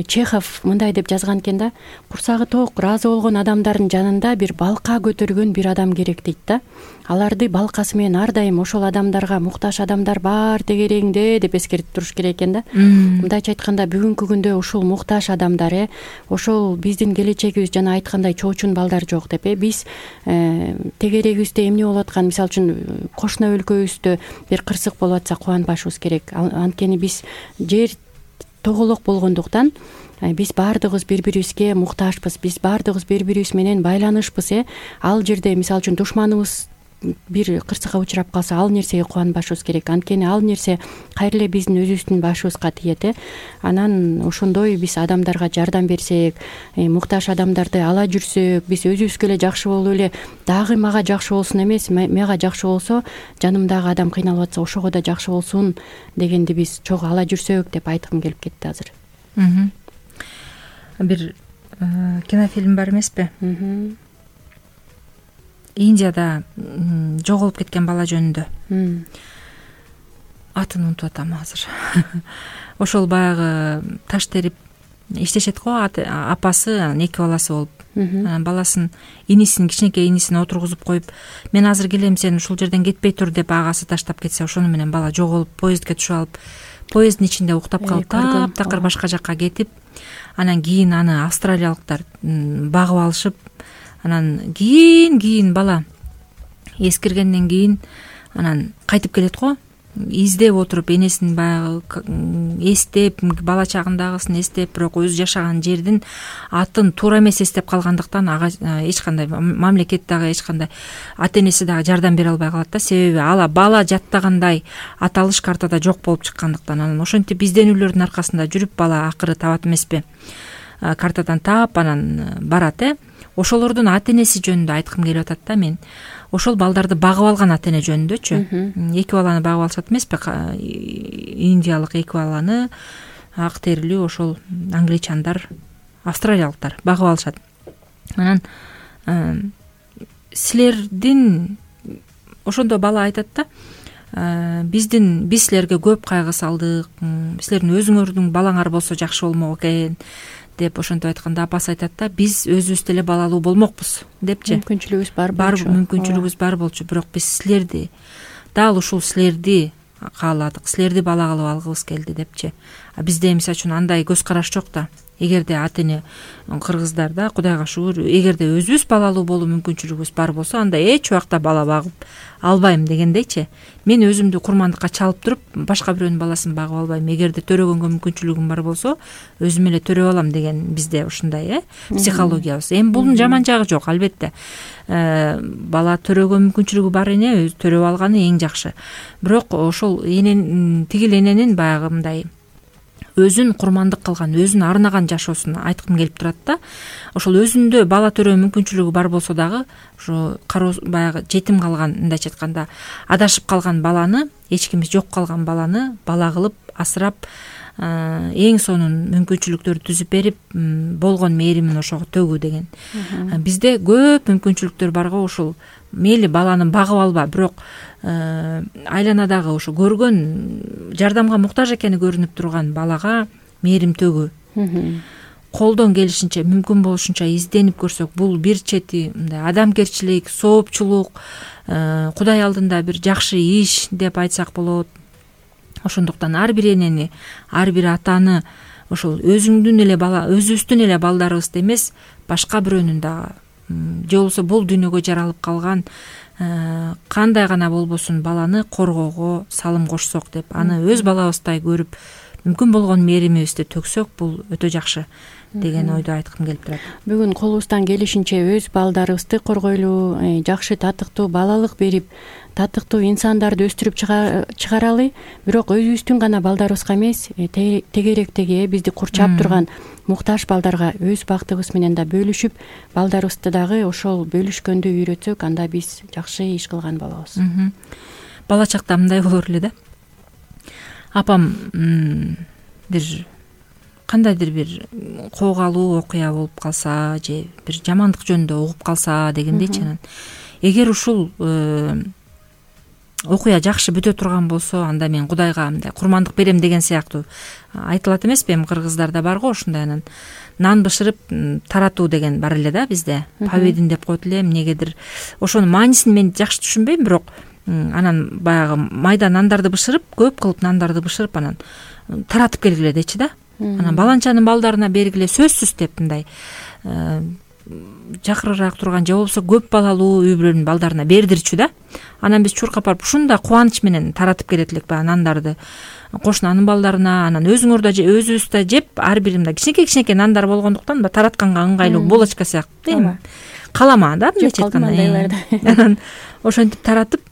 Чехов мындай деп жазган экен да: курсагы ток, ыраазы болгон адамдардын жанында бир балка көтөргөн бир адам керек дейт да. Аларды балкасы менен ар дайым ошол адамдарга муктаж адамдар бар тегерегиңде деп эскертип туруш керек экен да. Мындайча айтканда, бүгүнкү күндө ушул муктаж адамдар, ошол биздин келечегибиз, жана айткандай чоочун балдар жок деп, биз тегерегибизде эмне болуп аткан, мисалы үчүн кошуна өлкөбүздө бир кырсык болуп атса кубанбашыбыз керек. Анткени биз жер тоголок болгондуктан биз баардыгыбыз бири-бирибизге муктажбыз, биз баардыгыбыз бири-бирибиз менен байланышпыз. Ал жерде мисалы үчүн душманыбыз бир кырсыкка учурап калса, ал нерсеге кубанбашыбыз керек. Анткени ал нерсе кайра эле биздин өзүбүздүн башыбызга тиет. Анан ошондой биз адамдарга жардам берсек, муктаж адамдарды ала жүрсөк, биз өзүбүзгө эле жакшы болуп эле, дагы мага жакшы болсун эмес, мага жакшы болсо, жанымдагы адам кыйналып атса ошого да жакшы болсун дегенди биз чогуу ала жүрсөк деп айткым келип кетти азыр. Бир кинофильм бар эмеспи? Индияда жоголуп кеткен бала жөнүндө. Атын унутуп атам азыр. Ошол баягы таш терип иштешет го, апасы, эки баласы болуп. Баласын, инисин, кичинекей инисин отургузуп коюп, мен азыр келем, сен ушул жерден кетпей тур деп агасы таштап кетсе, ошону менен бала жоголуп, поездге түшүп алып, поезддин ичинде уктап калып, таптакыр башка жакка кетип, анан кийин аны австралиялыктар багып алышып, анан кийин бала эскиргенден кийин анан кайтып келет го, издеп отуруп, энесин баягы эстеп, бала чагындагысын эстеп, бирок өзү жашаган жердин атын туура эмес эстеп калгандыктан ага эч кандай мамлекет дагы, эч кандай ата энеси дагы жардам бере албай калат да. Себеби ала бала жаттагандай аталыш картада жок болуп чыккандыктан. Анан ошентип изденүүлөрдүн аркасында жүрүп бала акыры табат эмеспи, картадан таап анан барат. Ошолордун ата энеси жөнүндө айткым келип атат да мен. Ошол балдарды багып алган ата эне жөнүндөчү. Эки баланы багып алышат эмеспи? Индиялык эки баланы ак терилүү ошол англичандар, австралиялыктар багып алышат. Анан силердин, ошондо бала айтат да, биз силерге көп кайгы салдык, силердин өзүңөрдүн балаңар болсо жакшы болмок экен деп ошентип айтканда, апасы айтат да, биз өзүбүз деле балалуу болмокпуз депчи. Мүмкүнчүлүгүбүз бар болчу, бирок биз силерди, дал ушул силерди кааладык, силерди бала кылып алгыбыз келди депчи. Бизде мисалы үчүн андай көз караш жок да. Эгерде ата эне кыргыздарда, Кудайга шүгүр, эгерде өзүбүз балалуу болуу мүмкүнчүлүгүбүз бар болсо, анда эч убакта бала багып албайм дегендейчи. Мен өзүмдү курмандыкка чалып туруп, башка бирөөнүн баласын багып албайм. Эгерде төрөгөнгө мүмкүнчүлүгүм бар болсо, өзүм эле төрөп алам деген бизде ушундай психологиябыз. Эми бунун жаман жагы жок, албетте. Бала төрөгө мүмкүнчүлүгү бар эне төрөп алганы эң жакшы. Бирок ошол тигил эненин баягы мындай өзүн курмандык кылган, өзүн арнаган жашоосун айткым келип турат да. Ошол өзүндө бала төрөө мүмкүнчүлүгү бар болсо дагы, ошо баягы жетим калган, мындайча айтканда, адашып калган баланы, эч кими жок калган баланы бала кылып асырап, эң сонун мүмкүнчүлүктөрдү түзүп берип, болгон мээримин ошого төгүү деген. Бизде көп мүмкүнчүлүктөр бар го, ушул мейли баланы багып алба, бирок айланадагы ушу көргөн жардамга муктаж экени көрүнүп турган балага мээрим төгүү. Колдон келишинче, мүмкүн болушунча изденип көрсөк, бул бир чети мындай адамгерчилик, соопчулук, Кудай алдында бир жакшы иш деп айтсак болот. Ошондуктан ар бир энени, ар бир атаны ошол өзүңдүн эле өзүбүздүн эле балдарыбызды эмес, башка бирөөнүн дагы, же болбосо бул дүйнөгө жаралып калган кандай гана болбосун баланы коргоого салым кошсок деп, аны өз балабыздай көрүп, мүмкүн болгон мээримибизди төксөк, бул өтө жакшы деген ойду айткым келип турат. Бүгүн колубуздан келишинче өз балдарыбызды коргойлу, жакшы татыктуу балалык берип, татыктуу инсандарды өстүрүп чыгаралы. Бирок өзүбүздүн гана балдарыбызга эмес, тегеректеги бизди курчап турган муктаж балдарга өз бактыбыз менен да бөлүшүп, балдарыбызды дагы ошол бөлүшкөндү үйрөтсөк, анда биз жакшы иш кылган болобуз. Бала чакта мындай болор эле да. Апам бир кандайдыр бир коогалуу окуя болуп калса, же бир жамандык жөнүндө угуп калса дегендейчи, анан эгер ушул окуя жакшы бүтө турган болсо, анда мен Кудайга мындай курмандык берем деген сыяктуу айтылат эмеспи? Эми кыргыздарда барго ушундай, анан нан бышырып таратуу деген бар эле да бизде. Поведин деп коет элем, эмнегедир. Ошонун маанисин мен жакшы түшүнбөйм, бирок анан баягы майда нандарды бышырып, көп кылып нандарды бышырып, анан таратып келгиле дечи да. Анан баланчанын балдарына бергиле, сөзсүз деп, мындай жакырыраак турган, же болбосо көп балалуу үй бүлөнүн балдарына бердирчү да. Анан биз чуркап барып ушундай кубаныч менен таратып келет элек баягы нандарды кошунанын балдарына. Анан өзүңөр да өзүбүз да жеп, ар бир мындай кичинекей нандар болгондуктан таратканга ыңгайлуу булочка сыяктуу, эми калама да, мындайча айтканда. Анан ошентип таратып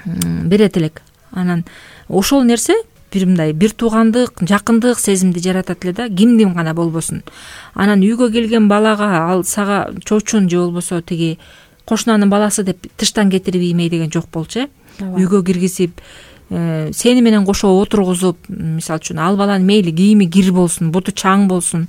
берет элек. Анан ошол нерсе бир мындай бир туугандык, жакындык сезимди жаратат эле да, кимдин гана болбосун. Анан үйгө келген балага ал сага чочун же болбосо тиги кошунанын баласы деп тыштан кетирип иймей деген жок болчу. Үйгө киргизип, сени менен кошо отургузуп, мисалы үчүн ал баланын мейли кийими кир болсун, буту чаң болсун,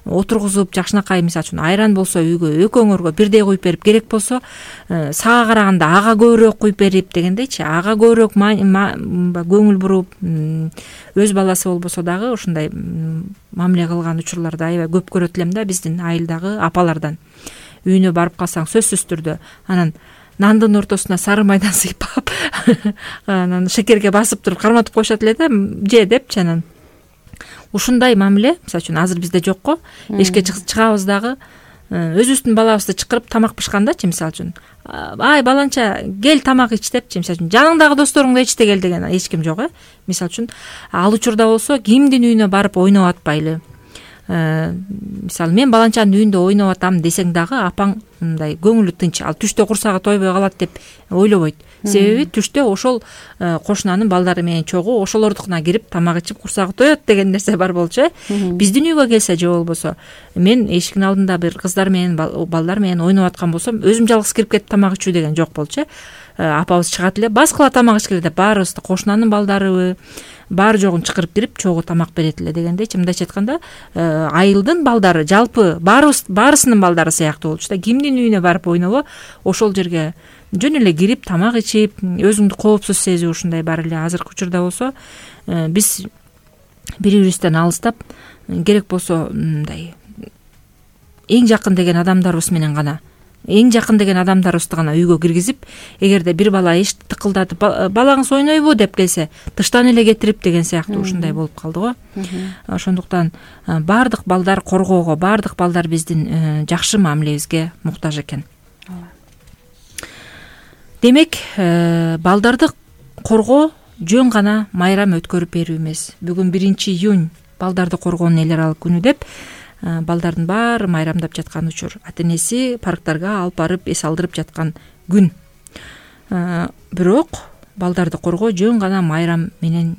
отургузуп, жакшынакай мисалы үчүн айран болсо үйгө экөөңөргө бирдей куюп берип, керек болсо сага караганда ага көбүрөөк куюп берип дегендейчи, ага көбүрөөк көңүл буруп, өз баласы болбосо дагы ушундай мамиле кылган учурларды аябай көп көрөт элем да биздин айылдагы апалардан. Үйүнө барып калсаң сөзсүз түрдө анан нандын ортосуна сары майдан сыйпап, анан шекерге басып туруп карматып коюшат эле да, же депчи. Анан ушундай мамиле мисалы үчүн азыр бизде жок го. Эшикке чыгабыз дагы өзүбүздүн балабызды чакырып тамак бышкандачы, мисалы үчүн ай баланча кел тамак ич депчи, мисалы үчүн жаныңдагы досторуңду ичте кел деген эч ким жок. Мисалы үчүн ал учурда болсо кимдин үйүнө барып ойноп атпайлы. Мисалы мен баланчанын үйүндө ойноп атам десең дагы апаң мындай көңүлү тынч, ал түштө курсагы тойбой калат деп ойлобойт. Себеби түштө ошол кошунанын балдары менен чогуу ошолордукуна кирип тамак ичип курсагы тоет деген нерсе бар болчу. Биздин үйгө келсе же болбосо мен эшиктин алдында бир кыздар менен балдар менен ойноп аткан болсом, өзүм жалгыз кирип кетип тамак ичүү деген жок болчу. Апабыз чыгат эле, баскыла тамак ичкиле деп баарыбызды, кошунанын балдарыбы бар жогун чакырып кирип чогуу тамак берет эле дегендейчи. Мындайча айтканда айылдын балдары жалпы баарысынын балдары сыяктуу болчу да. Кимдин үйүнө барып ойнобо, ошол жерге жөн эле кирип тамак ичип, өзүңдү коопсуз сезүү ушундай бар эле. Азыркы учурда болсо биз бири-бирибизден алыстап, керек болсо мындай эң жакын деген адамдарыбыз менен гана, эң жакын деген адамдарыбызды гана үйгө киргизип, эгерде бир бала эшикти тыкылдатып балаңыз ойнойбу деп келсе, тыштан эле кетирип деген сыяктуу ушундай болуп калды го. Ошондуктан баардык балдар коргоого, баардык балдар биздин жакшы мамилебизге муктаж экен. Демек, балдарды коргоо жөн гана майрам өткөрүп берүү эмес. Бүгүн 1-июнь балдарды коргоонун эл аралык күнү деп балдардын баары майрамдап жаткан учур. Ата-энеси парктарга алып барып эс алдырып жаткан күн. Бирок балдарды коргоо жөн гана майрам менен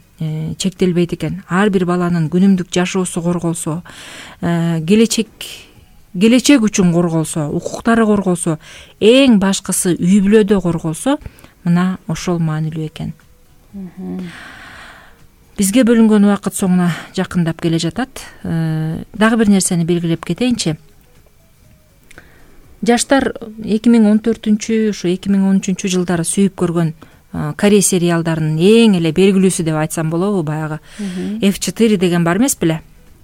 чектелбейт экен. Ар бир баланын күнүмдүк жашоосу корголсо, келечек үчүн корголсо, укуктары корголсо, эң башкысы үй бүлөдө корголсо, мына ошол маанилүү экен. Бизге бөлүнгөн убакыт соңуна жакындап келе жатат. Дагы бир нерсени белгилеп кетейинчи. Жаштар 2014 ушу 2013 жылдары сүйүп көргөн Корей сериалдарынын эң эле белгилүүсү деп айтсам болобу, баягы F4 деген бар эмес беле?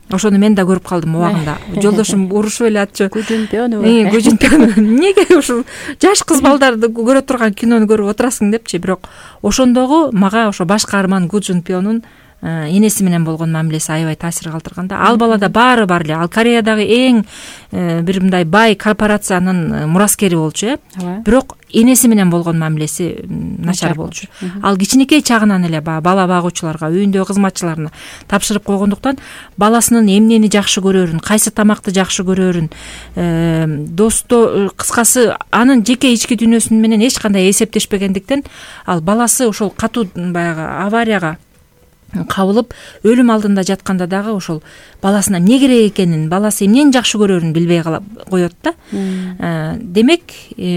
Ошону мен да көрүп калдым убагында. Жолдошум урушуп эле атчу. Гужунпёну. Гужунпёну. Эмнеге ушул жаш кыз балдарды көрө турган кинону көрүп отурасың депчи. Бирок ошондогу мага ошо баш каарман Гужунпёнун энеси менен болгон мамилеси аябай таасир калтырган да. Ал балада баары бар эле. Ал Кореядагы эң бир мындай бай корпорациянын мураскери болчу, бирок энеси менен болгон мамилеси начар болчу. Ал кичинекей чагынан эле бала багуучуларга, үйүндөгү кызматчыларына тапшырып койгондуктан баласынын эмнени жакшы көрөрүн, кайсы тамакты жакшы көрөрүн, кыскасы анын жеке ички дүйнөсү менен эч кандай эсептешпегендиктен ал баласы ошол катуу баягы аварияга кабылып өлүм алдында жатканда дагы ошол баласына эмне керек экенин, баласы эмнени жакшы көрөрүн билбей коет да. Демек,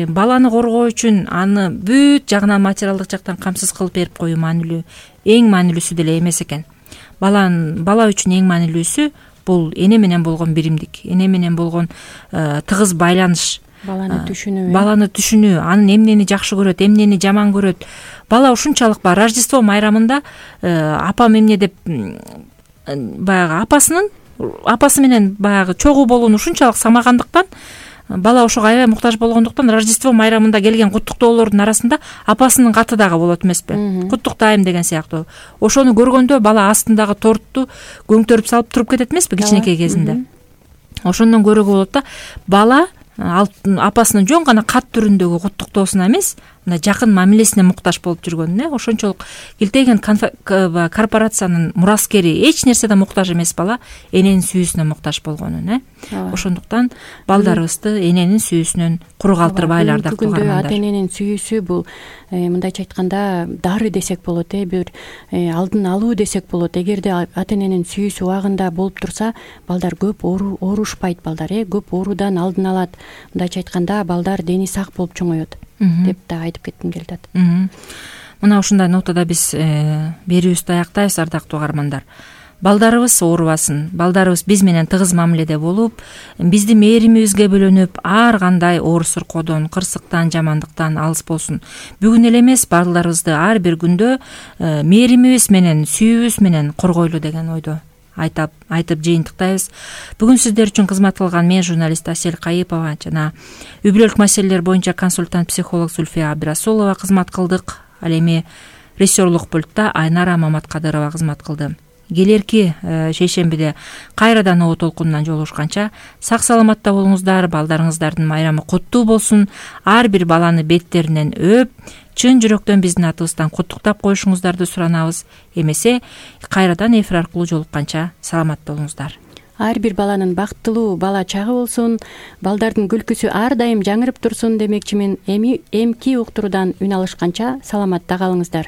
баланы коргоо үчүн аны бүт жагынан, материалдык жактан камсыз кылып берип коюу маанилүү, эң маанилүүсү деле эмес экен. Бала үчүн эң маанилүүсү бул эне менен болгон биримдик, эне менен болгон тыгыз байланыш. Баланы түшүнүү, анын эмнени жакшы көрөт, эмнени жаман көрөт. Бала ушунчалык Рождество майрамында апам эмне деп баягы апасы менен баягы чогуу болууну ушунчалык самагандыктан, бала ошого аябай муктаж болгондуктан Рождество майрамында келген куттуктоолордун арасында апасынын каты дагы болот эмеспи? Куттуктайм деген сыяктуу. Ошону көргөндө бала астындагы тортту көңтөрүп салып туруп кетет эмеспи кичинекей кезинде? Ошондон көрүүгө болот да, бала апасынын жөн гана кат түрүндөгү куттуктоосуна эмес, мына жакын мамилесине муктаж болуп жүргөнүн, ошончолук килтейген корпорациянын мураскери, эч нерседен муктаж эмес бала эненин сүйүүсүнө муктаж болгонун. Ошондуктан балдарыбызды эненин сүйүүсүнөн куру калтырбайлы, ардактуу угармандар. Ата эненин сүйүүсү бул мындайча айтканда дары десек болот, бир алдын алуу десек болот. Эгерде ата эненин сүйүүсү убагында болуп турса, балдар көп оорушпайт, көп оорудан алдын алат. Мындайча айтканда балдар дени сак болуп чоңоет деп да айтып кетким келип атат. Мына ушундай нотада биз берүүбүздү аяктайбыз, ардактуу угармандар. Балдарыбыз оорубасын, балдарыбыз биз менен тыгыз мамиледе болуп, биздин мээримибизге бөлөнүп, ар кандай оор суркоодон, кырсыктан, жамандыктан алыс болсун. Бүгүн эле эмес, балдарыбызды ар бир күндө мээримибиз менен, сүйүүбүз менен коргойлу деген ойдо айтып жыйынтыктайбыз. Бүгүн сиздер үчүн кызмат кылган мен журналист Асель Кайыпова жана үй бүлөлүк маселелер боюнча консультант психолог Зульфия Абдрасулова кызмат кылдык. Ал эми режиссерлук пультта Айнара Маматкадырова кызмат кылды. Келерки шейшембиде кайрадан О толкунунан жолугушканча сак саламатта болуңуздар, балдарыңыздардын майрамы куттуу болсун. Ар бир баланы беттеринен өп, чын жүрөктөн биздин атыбыздан куттуктап коюшуңуздарды суранабыз. Эмесе кайрадан эфир аркылуу жолукканча саламат болуңуздар. Ар бир баланын бактылуу бала чагы болсун, балдардын күлкүсү ар дайым жаңырып турсун демекчимин. Эмки уктуруудан үн алышканча саламатта калыңыздар.